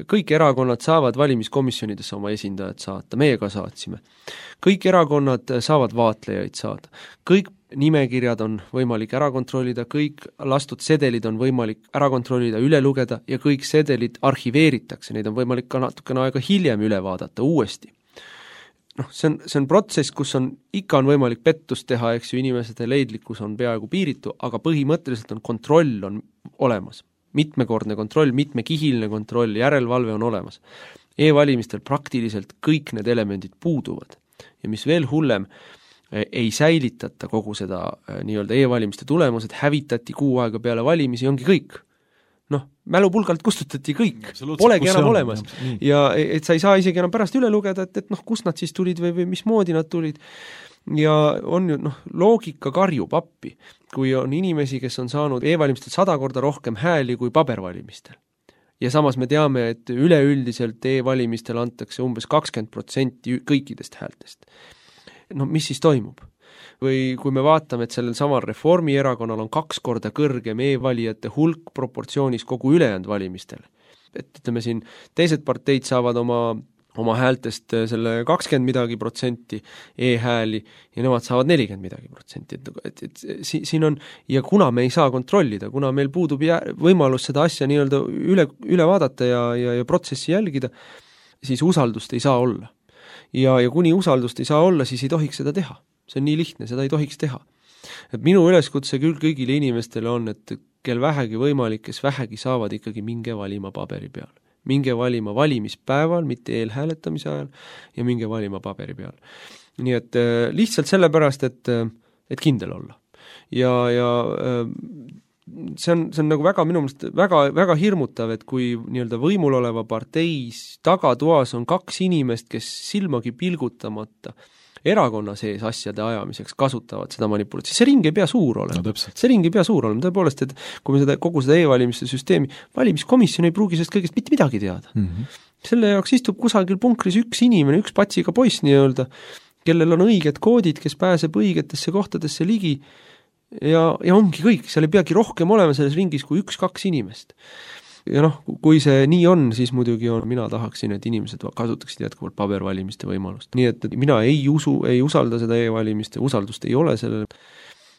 Kõik erakonnad saavad valimiskomisjonidesse oma esindajad saata, meie ka saatsime. Kõik erakonnad saavad vaatlejaid saada. Kõik nimekirjad on võimalik ära kontrollida, kõik lastud sedelid on võimalik ära kontrollida, üle lugeda ja kõik sedelid arhiveeritakse, neid on võimalik ka natukene aega hiljem üle vaadata uuesti. Noh, see on, see on protsess, kus on, ikka on võimalik pettust teha, eks ju, inimesed leidlikkus on peaaegu piiritu, aga põhimõtteliselt on kontroll on olemas. Mitmekordne kontroll, mitmekihiline kontroll, järelevalve on olemas. E-valimistel praktiliselt kõik need elemendid puuduvad. Ja mis veel hullem, ei säilitata kogu seda nii-öelda e-valimiste tulemused, hävitati kuu aega peale valimisi, ongi kõik. Noh, mälupulgalt kustutati kõik, polegi enam on, olemas. Ja et sa ei saa isegi enam pärast üle lugeda, et, et noh, kust nad siis tulid või, või mismoodi nad tulid. Ja on ju, noh, loogika karjub appi, kui on inimesi, kes on saanud e-valimistel sada korda rohkem hääli kui pabervalimistel. Ja samas me teame, et üleüldiselt e-valimistel antakse umbes kakskümmend protsenti kõikidest häältest. No mis siis toimub? Või kui me vaatame, et sellel samal Reformierakonnal on kaks korda kõrgem e-valijate hulk proportsioonis kogu ülejäänud valimistel. Et ütleme siin, teised parteid saavad oma, oma häältest selle kakskümmend midagi protsenti e-hääli ja nemad saavad nelikümmend midagi protsenti. Et, et, et siin on, ja kuna me ei saa kontrollida, kuna meil puudub jää, võimalus seda asja nii-öelda üle, üle vaadata ja, ja, ja protsessi jälgida, siis usaldust ei saa olla. Ja, ja kuni usaldust ei saa olla, siis ei tohiks seda teha. See on nii lihtne, seda ei tohiks teha. Et minu üleskutse küll kõigile inimestele on, et kel vähegi võimalik, kes vähegi saavad ikkagi minge valima paberi peal. Minge valima valimispäeval, mitte eelhääletamise ajal, ja minge valima paberi peal. Nii et äh, lihtsalt sellepärast, et, et kindel olla. Ja, ja äh, see on, see on nagu väga minu meelest väga, väga hirmutav, et kui nii-öelda võimul oleva parteis tagatoas on kaks inimest, kes silmagi pilgutamata erakonna sees asjade ajamiseks kasutavad seda manipulatsiooni, see ring ei pea suur olema no,. see ring ei pea suur olema, tõepoolest, et kui me seda, kogu seda e-valimiste süsteemi, valimiskomisjon ei pruugi sellest kõigest mitte midagi teada. Mm -hmm. selle jaoks istub kusagil punkris üks inimene, üks patsiga poiss nii-öelda, kellel on õiged koodid, kes pääseb õigetesse kohtadesse ligi ja, ja ongi kõik, seal ei peagi rohkem olema selles ringis kui üks-kaks inimest. Ja noh, kui see nii on, siis muidugi on, mina tahaksin, et inimesed kasutaksid jätkuvalt pabervalimiste võimalust. Nii et mina ei usu, ei usalda seda e-valimiste, usaldust ei ole sellele.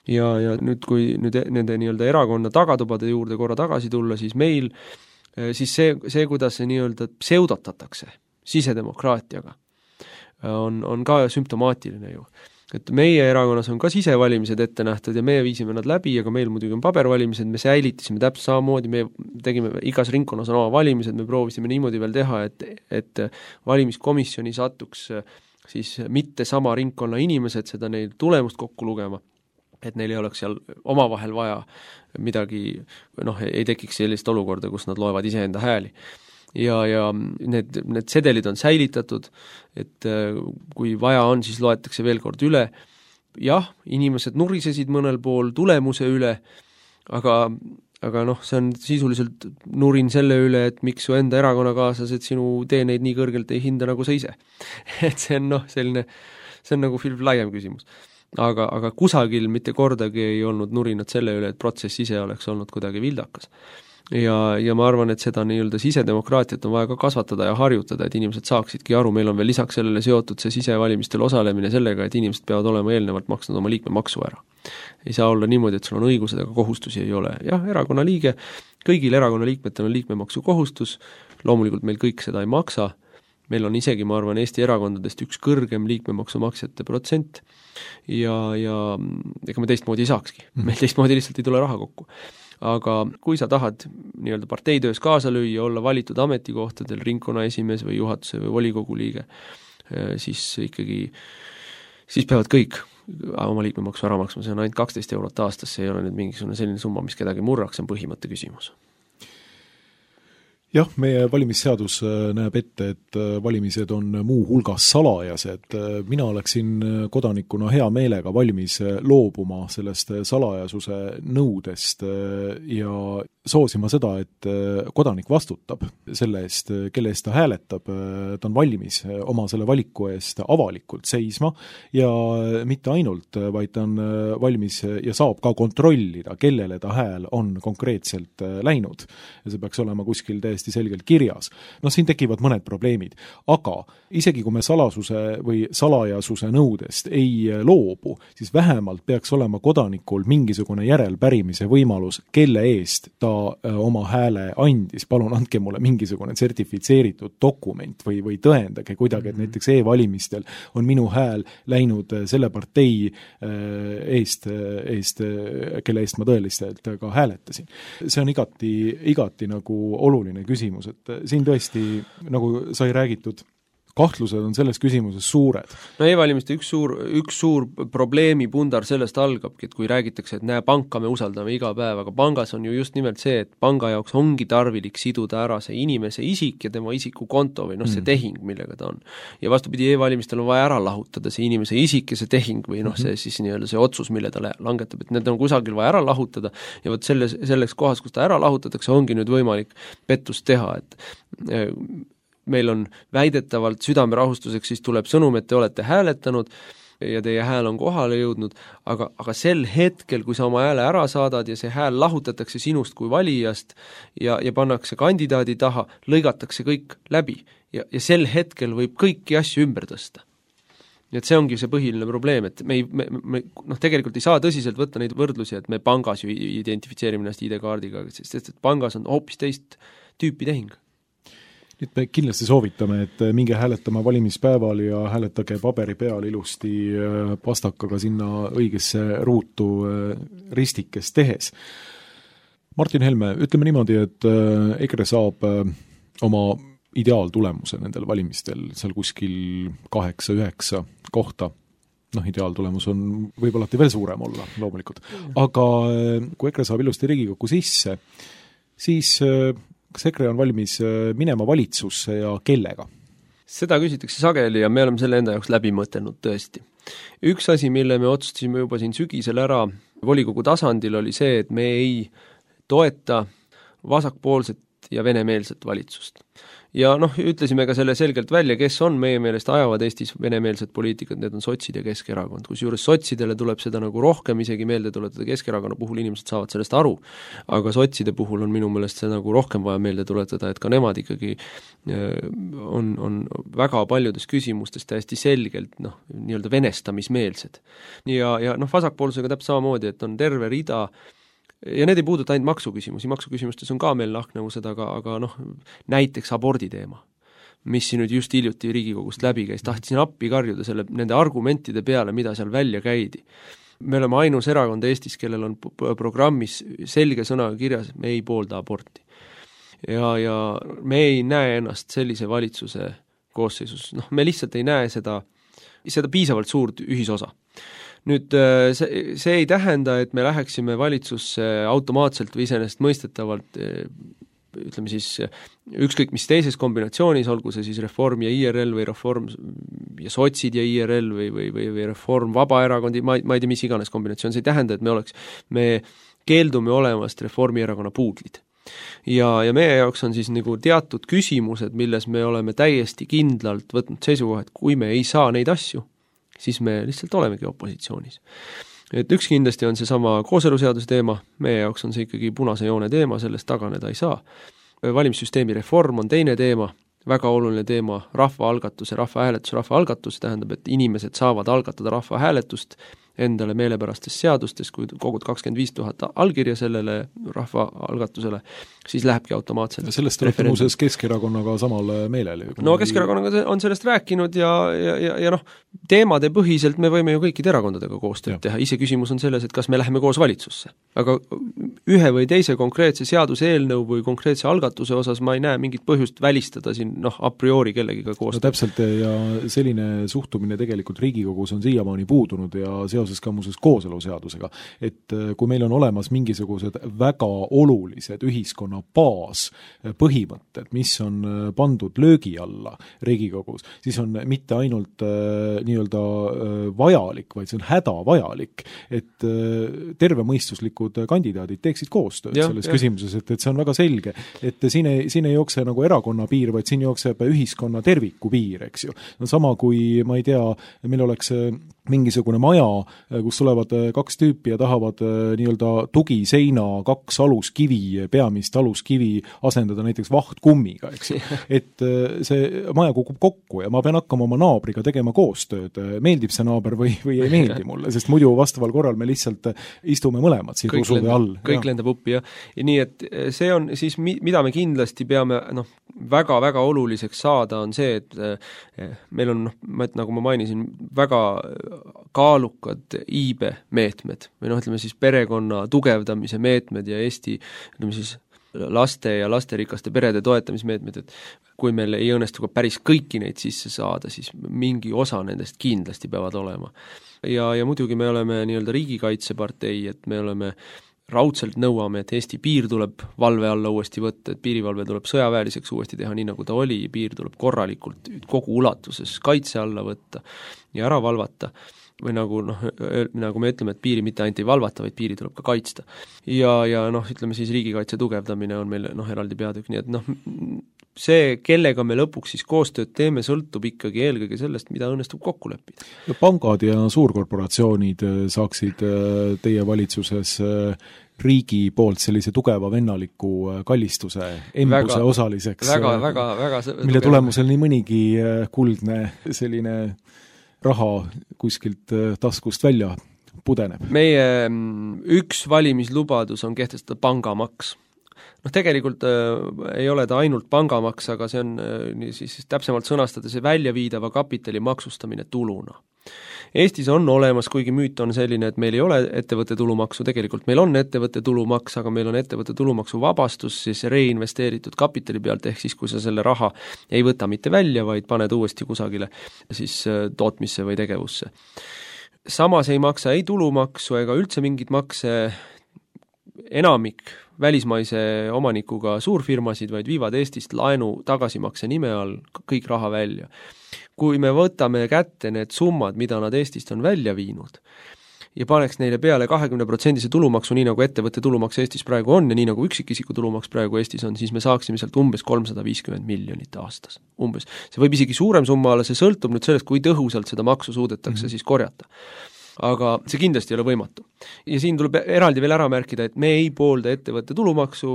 Ja, ja nüüd, kui nüüd nende nii-öelda erakonna tagatubade juurde korra tagasi tulla, siis meil, siis see, see kuidas see nii-öelda pseudotatakse sisedemokraatiaga, on, on ka sümptomaatiline ju. Et meie erakonnas on ka sisevalimised ette nähtud ja me viisime nad läbi, aga meil muidugi on pabervalimised, me säilitasime täpselt samamoodi, me tegime, igas ringkonnas on oma valimised, me proovisime niimoodi veel teha, et, et valimiskomisjoni satuks siis mitte sama ringkonna inimesed seda neil tulemust kokku lugema, et neil ei oleks seal omavahel vaja midagi, noh, ei tekiks sellist olukorda, kus nad loevad iseenda hääli. Ja, ja need, need sedelid on säilitatud, et kui vaja on, siis loetakse veel kord üle. Jah, inimesed nurisesid mõnel pool tulemuse üle, aga, aga noh, see on sisuliselt nurin selle üle, et miks su enda erakonnakaaslased sinu teeneid nii kõrgelt ei hinda nagu sa ise. Et see on noh, selline, see on nagu laiem küsimus. Aga, aga kusagil mitte kordagi ei olnud nurinat selle üle, et protsess ise oleks olnud kuidagi vildakas. Ja, ja ma arvan, et seda nii-öelda sisedemokraatiat on vaja ka kasvatada ja harjutada, et inimesed saaksidki aru, meil on veel lisaks sellele seotud see sisevalimistel osalemine sellega, et inimesed peavad olema eelnevalt maksnud oma liikmemaksu ära. Ei saa olla niimoodi, et sul on õigused, aga kohustusi ei ole. Jah, erakonna liige, kõigil erakonna liikmetel on liikmemaksu kohustus, loomulikult meil kõik seda ei maksa, meil on isegi, ma arvan, Eesti erakondadest üks kõrgem liikmemaksu maksjate protsent ja, ja ega me teistmoodi ei saakski, meil teistmoodi lihtsalt ei tule raha kokku. Aga kui sa tahad nii-öelda parteitöös kaasa lüüa, olla valitud ametikohtadel, ringkonna esimees või juhatuse või volikogu liige, siis ikkagi, siis peavad kõik oma liikmemaksu ära maksma, see on ainult kaksteist eurot aastas, see ei ole nüüd mingisugune selline summa, mis kedagi murraks, see on põhimõtte küsimus. Jah, meie valimisseadus näeb ette, et valimised on muu hulgas salajased. Mina oleksin kodanikuna hea meelega valmis loobuma sellest salajasuse nõudest ja soosima seda, et kodanik vastutab selle eest, kelle eest ta hääletab, ta on valmis oma selle valiku eest avalikult seisma ja mitte ainult, vaid ta on valmis ja saab ka kontrollida, kellele ta hääl on konkreetselt läinud. Ja see peaks olema kuskil täiesti selgelt kirjas. No siin tekivad mõned probleemid, aga isegi kui me salasuse või salajasuse nõudest ei loobu, siis vähemalt peaks olema kodanikul mingisugune järelpärimise võimalus, kelle eest ta oma hääle andis. Palun andke mulle mingisugune sertifitseeritud dokument või, või tõendage kuidagi, et näiteks e-valimistel on minu hääl läinud selle partei eest, eest, kelle eest ma tõeliselt ka hääletasin. See on igati, igati nagu oluline küsimus, et siin tõesti, nagu sai räägitud, kahtlused on selles küsimuses suured. No e-valimiste üks suur, üks suur probleemi pundar sellest algabki, et kui räägitakse, et näe, panka me usaldame iga päev, aga pangas on ju just nimelt see, et panga jaoks ongi tarvilik siduda ära see inimese isik ja tema isiku konto või noh, see tehing, millega ta on. Ja vastupidi, e-valimistel on vaja ära lahutada see inimese isik ja see tehing või noh, see siis nii-öelda see otsus, mille ta langetab, et need on kusagil vaja ära lahutada ja vot selles, selles kohas, kus ta ära lahutatakse, ongi nüüd võimalik pettust teha, et meil on väidetavalt südamerahustuseks, siis tuleb sõnum, et te olete hääletanud ja teie hääl on kohale jõudnud, aga, aga sel hetkel, kui sa oma hääle ära saadad ja see hääl lahutatakse sinust kui valijast ja, ja pannakse kandidaadi taha, lõigatakse kõik läbi ja, ja sel hetkel võib kõiki asju ümber tõsta. Nii et see ongi see põhiline probleem, et me, ei, me, me noh, tegelikult ei saa tõsiselt võtta neid võrdlusi, et me pangas ju identifitseerime ennast I D-kaardiga, sest et pangas on hoopis teist tüüpi tehing. Nüüd me kindlasti soovitame, et minge hääletama valimispäeval ja hääletage paberi peal ilusti pastakaga sinna õigesse ruutu ristikest tehes. Martin Helme, ütleme niimoodi, et EKRE saab oma ideaaltulemuse nendel valimistel seal kuskil kaheksa üheksa kohta. Noh, ideaaltulemus on võib-olla veel suurem olla, loomulikult. Aga kui EKRE saab ilusti Riigikokku sisse, siis kas EKRE on valmis minema valitsusse ja kellega? Seda küsitakse sageli ja me oleme selle enda jaoks läbi mõtelnud tõesti. Üks asi, mille me otsustasime juba siin sügisel ära volikogu tasandil, oli see, et me ei toeta vasakpoolset ja venemeelset valitsust. Ja noh, ütlesime ka selle selgelt välja, kes on meie meelest ajavad Eestis venemeelsed poliitikud, need on sotsid ja Keskerakond. Kusjuures sotsidele tuleb seda nagu rohkem isegi meelde tuletada, Keskerakonna puhul inimesed saavad sellest aru, aga sotside puhul on minu meelest see nagu rohkem vaja meelde tuletada, et ka nemad ikkagi on, on väga paljudes küsimustes täiesti selgelt noh, nii-öelda venestamismeelsed. Ja, ja noh, vasakpoolsusega täpselt samamoodi, et on terve rida ja need ei puuduta ainult maksuküsimusi, maksuküsimustes on ka meil lahknevused, aga, aga noh, näiteks abordi teema, mis siin nüüd just hiljuti Riigikogust läbi käis, tahtsin appi karjuda selle, nende argumentide peale, mida seal välja käidi. Me oleme ainus erakond Eestis, kellel on programmis selge sõnaga kirjas, et me ei poolda aborti. Ja, ja me ei näe ennast sellise valitsuse koosseisus, noh, me lihtsalt ei näe seda, seda piisavalt suurt ühisosa. Nüüd see, see ei tähenda, et me läheksime valitsusse automaatselt või iseenesest mõistetavalt, ütleme siis ükskõik mis teises kombinatsioonis, olgu see siis Reform ja I R L või Reform ja sotsid ja I R L või, või, või, või Reform Vabaerakondi, ma, ma ei tea, mis iganes kombinatsioon, see ei tähenda, et me oleks, me keeldume olemast Reformierakonna puudlid. Ja, ja meie jaoks on siis nagu teatud küsimused, milles me oleme täiesti kindlalt võtnud seisukoha, et kui me ei saa neid asju, siis me lihtsalt olemegi opositsioonis. Et üks kindlasti on see sama kooseluseaduse teema, meie jaoks on see ikkagi punase joone teema, sellest taganeda ei saa. Valimissüsteemi reform on teine teema, väga oluline teema, rahvaalgatuse, rahvahääletuse, rahvaalgatus tähendab, et inimesed saavad algatada rahvahääletust endale meelepärastes seadustes, kui kogud kakskümmend viis tuhat allkirja sellele rahvaalgatusele, siis lähebki automaatselt. Ja sellest olete muuseas Keskerakonnaga samal meelel. No Keskerakonnaga on sellest rääkinud ja, ja, ja, ja noh, teemade põhiselt me võime ju kõikide erakondadega koostööd teha, ise küsimus on selles, et kas me läheme koos valitsusse. Aga ühe või teise konkreetse seaduseelnõu või konkreetse algatuse osas ma ei näe mingit põhjust välistada siin noh, a priori kellegiga koostööd. No täpselt ja selline suhtumine tegelikult Riigikogus on siiamaani puudunud ja seoses ka muuseas kooseluseadusega, et kui meil on olemas mingisugused väga olulised ühiskonna baas põhimõtted, mis on pandud löögi alla Riigikogus, siis on mitte ainult äh, nii-öelda äh, vajalik, vaid see on hädavajalik, et äh, tervemõistuslikud kandidaadid teeksid koostööd ja, selles ja. küsimuses, et, et see on väga selge, et siin ei, siin ei jookse nagu erakonna piir, vaid siin jookseb ühiskonna terviku piir, eks ju. No sama kui, ma ei tea, meil oleks mingisugune maja, kus tulevad kaks tüüpi ja tahavad nii-öelda tugiseina kaks aluskivi, peamist aluskivi asendada näiteks vahtkummiga, eks ju. Et see maja kukub kokku ja ma pean hakkama oma naabriga tegema koostööd. Meeldib see naaber või, või ei meeldi mulle, sest muidu vastaval korral me lihtsalt istume mõlemad siin rusude all. Kõik ja. lendab uppi ja, ja nii, et see on siis, mida me kindlasti peame noh, väga-väga oluliseks saada, on see, et meil on, nagu ma mainisin, väga kaalukad iibe-meetmed või noh, ütleme siis perekonna tugevdamise meetmed ja Eesti, ütleme siis laste ja lasterikaste perede toetamismeetmed, et kui meil ei õnnestu ka päris kõiki neid sisse saada, siis mingi osa nendest kindlasti peavad olema. Ja, ja muidugi me oleme nii-öelda riigikaitsepartei, et me oleme raudselt nõuame, et Eesti piir tuleb valve alla uuesti võtta, et piirivalve tuleb sõjaväeliseks uuesti teha, nii nagu ta oli, piir tuleb korralikult kogu ulatuses kaitse alla võtta ja ära valvata. Või nagu, noh, nagu me ütleme, et piiri mitte ainult ei valvata, vaid piiri tuleb ka kaitsta. Ja, ja noh, ütleme siis riigikaitse tugevdamine on meil noh, eraldi peatükk, nii et noh, see, kellega me lõpuks siis koostööd teeme, sõltub ikkagi eelkõige sellest, mida õnnestub kokku leppida. Ja pangad ja suurkorporatsioonid saaksid teie valitsuses riigi poolt sellise tugeva vennaliku kallistuse embuse väga, osaliseks, väga, väga, väga mille tugeva. Tulemusel nii mõnigi kuldne selline raha kuskilt taskust välja pudeneb. Meie üks valimislubadus on kehtestada pangamaks. Noh, tegelikult äh, ei ole ta ainult pangamaks, aga see on äh, siis täpsemalt sõnastada see väljaviidava kapitali maksustamine tuluna. Eestis on olemas, kuigi müüt on selline, et meil ei ole ettevõtte tulumaksu, tegelikult meil on ettevõtte tulumaks, aga meil on ettevõtte tulumaksu vabastus siis reinvesteeritud kapitali pealt, ehk siis kui sa selle raha ei võta mitte välja, vaid paned uuesti kusagile siis tootmisse või tegevusse. Samas ei maksa ei tulumaksu ega üldse mingit makse enamik välismaise omanikuga suurfirmasid, vaid viivad Eestist laenu tagasimakse nime all kõik raha välja. Kui me võtame kätte need summad, mida nad Eestist on välja viinud, ja paneks neile peale kahekümne protsendise tulumaksu, nii nagu ettevõtte tulumaks Eestis praegu on ja nii nagu üksikisiku tulumaks praegu Eestis on, siis me saaksime sealt umbes kolmsada viiskümmend miljonit aastas. Umbes. See võib isegi suurem summa olla, see sõltub nüüd sellest, kui tõhusalt seda maksu suudetakse mm-hmm. siis korjata. Aga see kindlasti ei ole võimatu. Ja siin tuleb eraldi veel ära märkida, et me ei poolda ettevõtte tulumaksu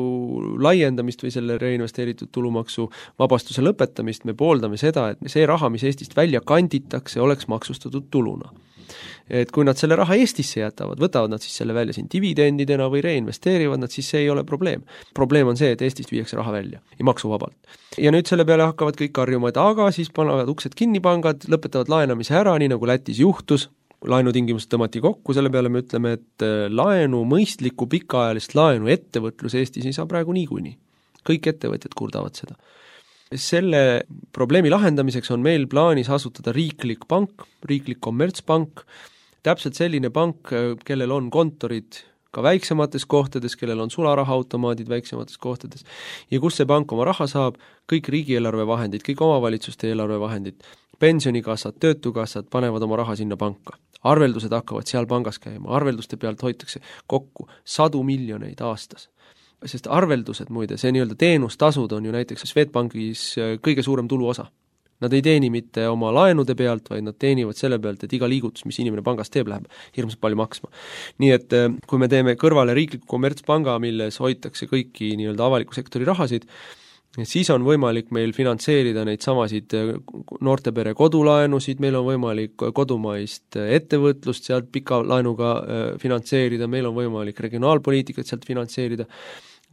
laiendamist või selle reinvesteeritud tulumaksu vabastuse lõpetamist, me pooldame seda, et see raha, mis Eestist välja kanditakse, oleks maksustatud tuluna. Et kui nad selle raha Eestisse jätavad, võtavad nad siis selle välja siin dividendidena või reinvesteerivad nad, siis see ei ole probleem. Probleem on see, et Eestist viiakse raha välja ja maksuvabalt. Ja nüüd selle peale hakkavad kõik karjuma, et aga siis panevad uksed kinni pangad, lõpetavad laenamise ära, nii nagu Lätis juhtus, laenutingimused tõmmati kokku, selle peale me ütleme, et laenu, mõistlikku pikaajalist laenu ettevõtlus Eestis ei saa praegu niikuinii. Kõik ettevõtjad kurdavad seda. Selle probleemi lahendamiseks on meil plaanis asutada riiklik pank, riiklik kommertspank, täpselt selline pank, kellel on kontorid ka väiksemates kohtades, kellel on sularahaautomaadid väiksemates kohtades ja kus see pank oma raha saab, kõik riigieelarve vahendid, kõik omavalitsuste eelarve vahendid, pensionikassad, töötukassad panevad oma raha sinna panka. Arveldused hakkavad seal pangas käima, arvelduste pealt hoitakse kokku sadu miljoneid aastas. Sest arveldused muide, see nii-öelda teenustasud on ju näiteks Swedbankis kõige suurem tuluosa. Nad ei teeni mitte oma laenude pealt, vaid nad teenivad selle pealt, et iga liigutus, mis inimene pangast teeb, läheb hirmsalt palju maksma. Nii et kui me teeme kõrvale riikliku kommertspanga, milles hoitakse kõiki nii-öelda avaliku sektori rahasid, siis on võimalik meil finantseerida neid samasid noortepere kodulaenusid, meil on võimalik kodumaist ettevõtlust sealt pika laenuga finantseerida, meil on võimalik regionaalpoliitikat sealt finantseerida,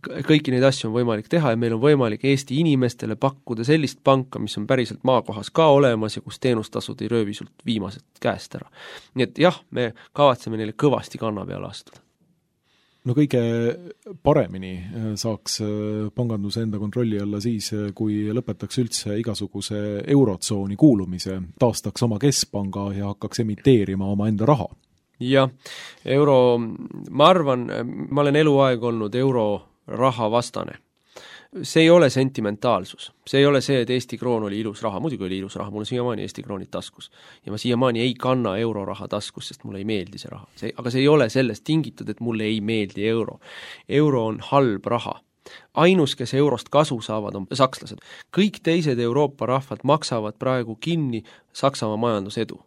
kõiki neid asju on võimalik teha ja meil on võimalik Eesti inimestele pakkuda sellist panka, mis on päriselt maakohas ka olemas ja kus teenustasud ei röövi sult viimased käest ära. Nii et jah, me kavatseme neile kõvasti kanna peale astuda. No kõige paremini saaks panganduse enda kontrolli alla siis, kui lõpetaks üldse igasuguse eurotsooni kuulumise, taastaks oma keskpanga ja hakkaks emiteerima oma enda raha. Jah, euro, ma arvan, ma olen eluaeg olnud euro raha vastane. See ei ole sentimentaalsus. See ei ole see, et Eesti kroon oli ilus raha. Muidugi oli ilus raha, mul on siiamaani Eesti kroonid taskus. Ja ma siiamaani ei kanna euroraha taskus, sest mulle ei meeldi see raha. See, aga see ei ole sellest tingitud, et mulle ei meeldi euro. Euro on halb raha. Ainus, kes eurost kasu saavad, on sakslased. Kõik teised Euroopa rahvad maksavad praegu kinni Saksamaa majandusedu.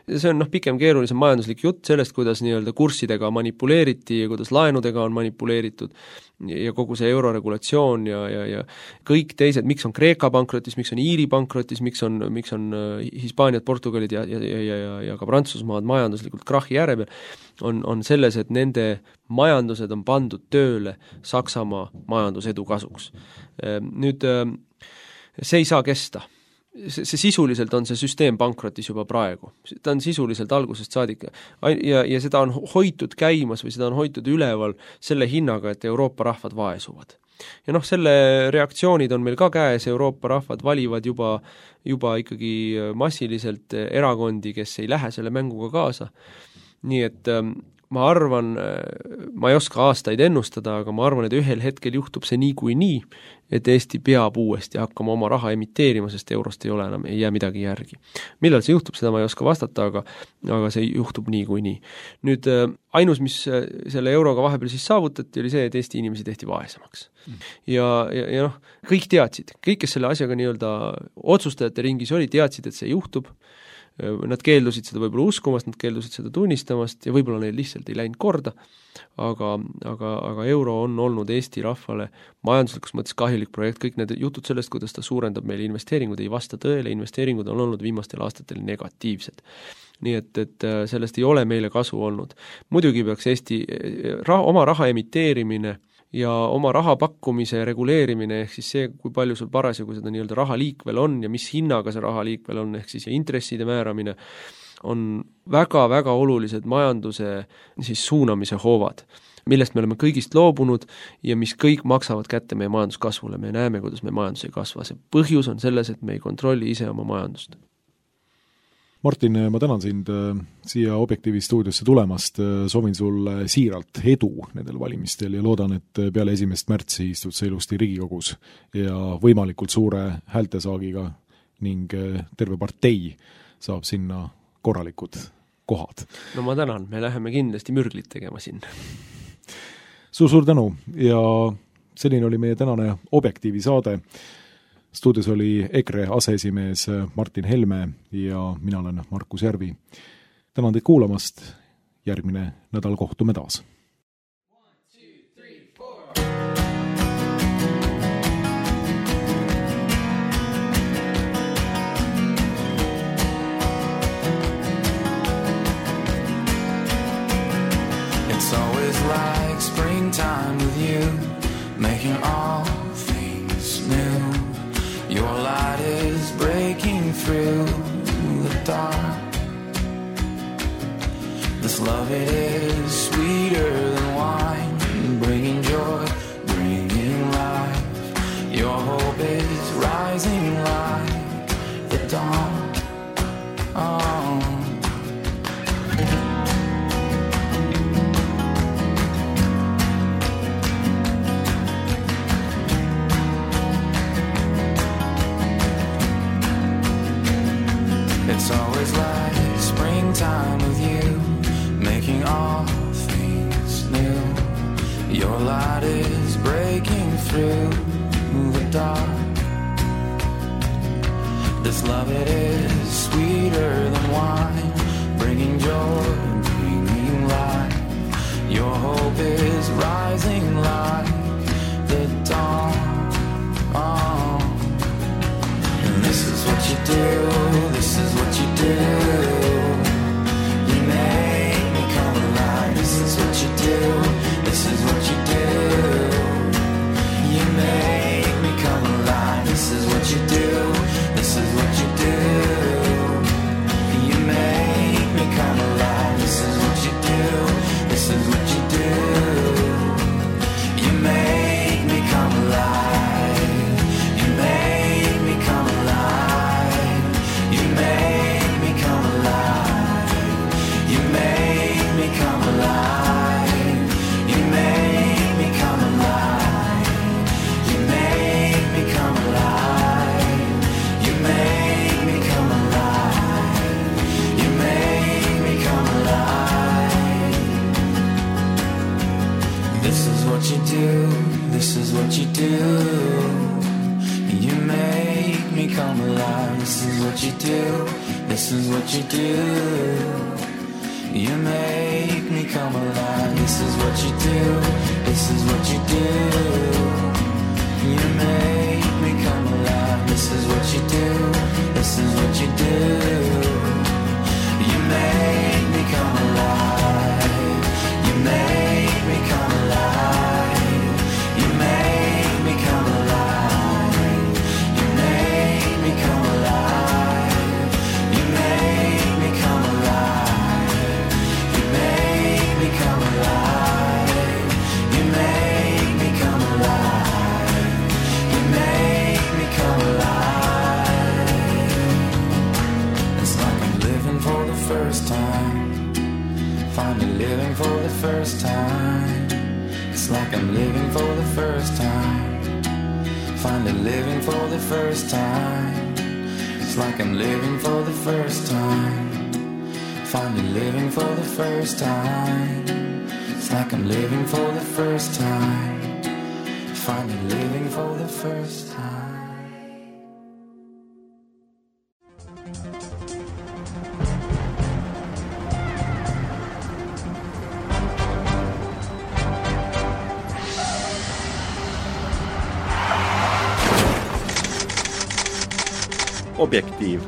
See on noh, pikem keerulisem majanduslik jutt sellest, kuidas nii-öelda kurssidega manipuleeriti ja kuidas laenudega on manipuleeritud ja kogu see euroregulatsioon ja, ja, ja kõik teised, miks on Kreeka pankrotis, miks on Iiri pankrotis, miks on, miks on Hispaaniad, Portugalid ja, ja, ja, ja, ja ka Prantsusmaad majanduslikult krahi ääre peal, on, on selles, et nende majandused on pandud tööle Saksamaa majandusedu kasuks. Nüüd see ei saa kesta. See, see sisuliselt on see süsteem pankrotis juba praegu. Ta on sisuliselt algusest saadik ja, ja seda on hoitud käimas või seda on hoitud üleval selle hinnaga, et Euroopa rahvad vaesuvad. Ja noh, selle reaktsioonid on meil ka käes, Euroopa rahvad valivad juba, juba ikkagi massiliselt erakondi, kes ei lähe selle mänguga kaasa. Nii et ma arvan, ma ei oska aastaid ennustada, aga ma arvan, et ühel hetkel juhtub see nii kui nii, et Eesti peab uuesti hakkama oma raha emiteerima, sest eurost ei ole enam, ei jää midagi järgi. Millal see juhtub, seda ma ei oska vastata, aga, aga see juhtub nii kui nii. Nüüd ainus, mis selle euroga vahepeal siis saavutati, oli see, et Eesti inimesi tehti vaesemaks. Mm. Ja, ja, ja noh, kõik teadsid, kõik, kes selle asjaga nii-öelda otsustajate ringis oli, teadsid, et see juhtub. Nad keeldusid seda võib-olla uskumast, nad keeldusid seda tunnistamast ja võib-olla neil lihtsalt ei läinud korda, aga, aga, aga euro on olnud Eesti rahvale majanduslikus mõttes kahjulik projekt, kõik need jutud sellest, kuidas ta suurendab meile investeeringud, ei vasta tõele, investeeringud on olnud viimastel aastatel negatiivsed. Nii et, et sellest ei ole meile kasu olnud. Muidugi peaks Eesti raha, oma raha emiteerimine ja oma raha pakkumise reguleerimine, ehk siis see, kui palju sul parasjagu seda nii-öelda raha liikvel on ja mis hinnaga see raha liikvel on, ehk siis intresside määramine, on väga-väga olulised majanduse siis suunamise hoovad, millest me oleme kõigist loobunud ja mis kõik maksavad kätte meie majanduskasvule. Me näeme, kuidas meie majandus ei kasva. See põhjus on selles, et me ei kontrolli ise oma majandust. Martin, ma tänan sind siia Objektiivi stuudiosse tulemast, soovin sulle siiralt edu nendel valimistel ja loodan, et peale esimest märtsi istud sa ilusti Riigikogus ja võimalikult suure häältesaagiga ning terve partei saab sinna korralikud kohad. No ma tänan, me läheme kindlasti mürglit tegema sinna. Suur-suur tänu ja selline oli meie tänane Objektiivi saade. Stuudios oli EKRE aseesimees Martin Helme ja mina olen Markus Järvi. Tänan teid kuulamast, järgmine nädal kohtume taas. It's always like springtime with you, making all things new. Your light is breaking through the dark. This love, it is sweeter than wine, bringing joy, bringing life. Your hope is rising like the dawn. Oh. It's always like springtime with you, making all things new. Your light is breaking through the dark. This love, it is sweeter than wine, bringing joy, bringing life. Your hope is rising like the dawn. Oh. And this is what you do, this is what you do. You make me come alive. This is what you do, this is what you do. You make me come alive. This is what you do, this is what you do. You make me come alive. This is what you do, this is what you do. You make me come alive. You make me come alive. You make me come alive. You make me come alive. You make me come alive. You make me come alive. You make me come alive. You make me come alive. This is what you do, this is what you do. You make me come alive. This is what you do, this is what you do. You make me come alive. This is what you do, this is what you do. You make me come alive. This is what you do, this is what you do. You make me come alive. You make me come alive. You make me come alive. You make me come alive. You make me come alive. You make me come alive. You make me come alive. You make me come alive. It's like I'm living for the first time, finally living for the first time. It's like I'm living for the first time, finally living for the first time. It's like I'm living for the first time, finally living for the first time. It's like I'm living for the first time, finally living for the first time. Objektiiv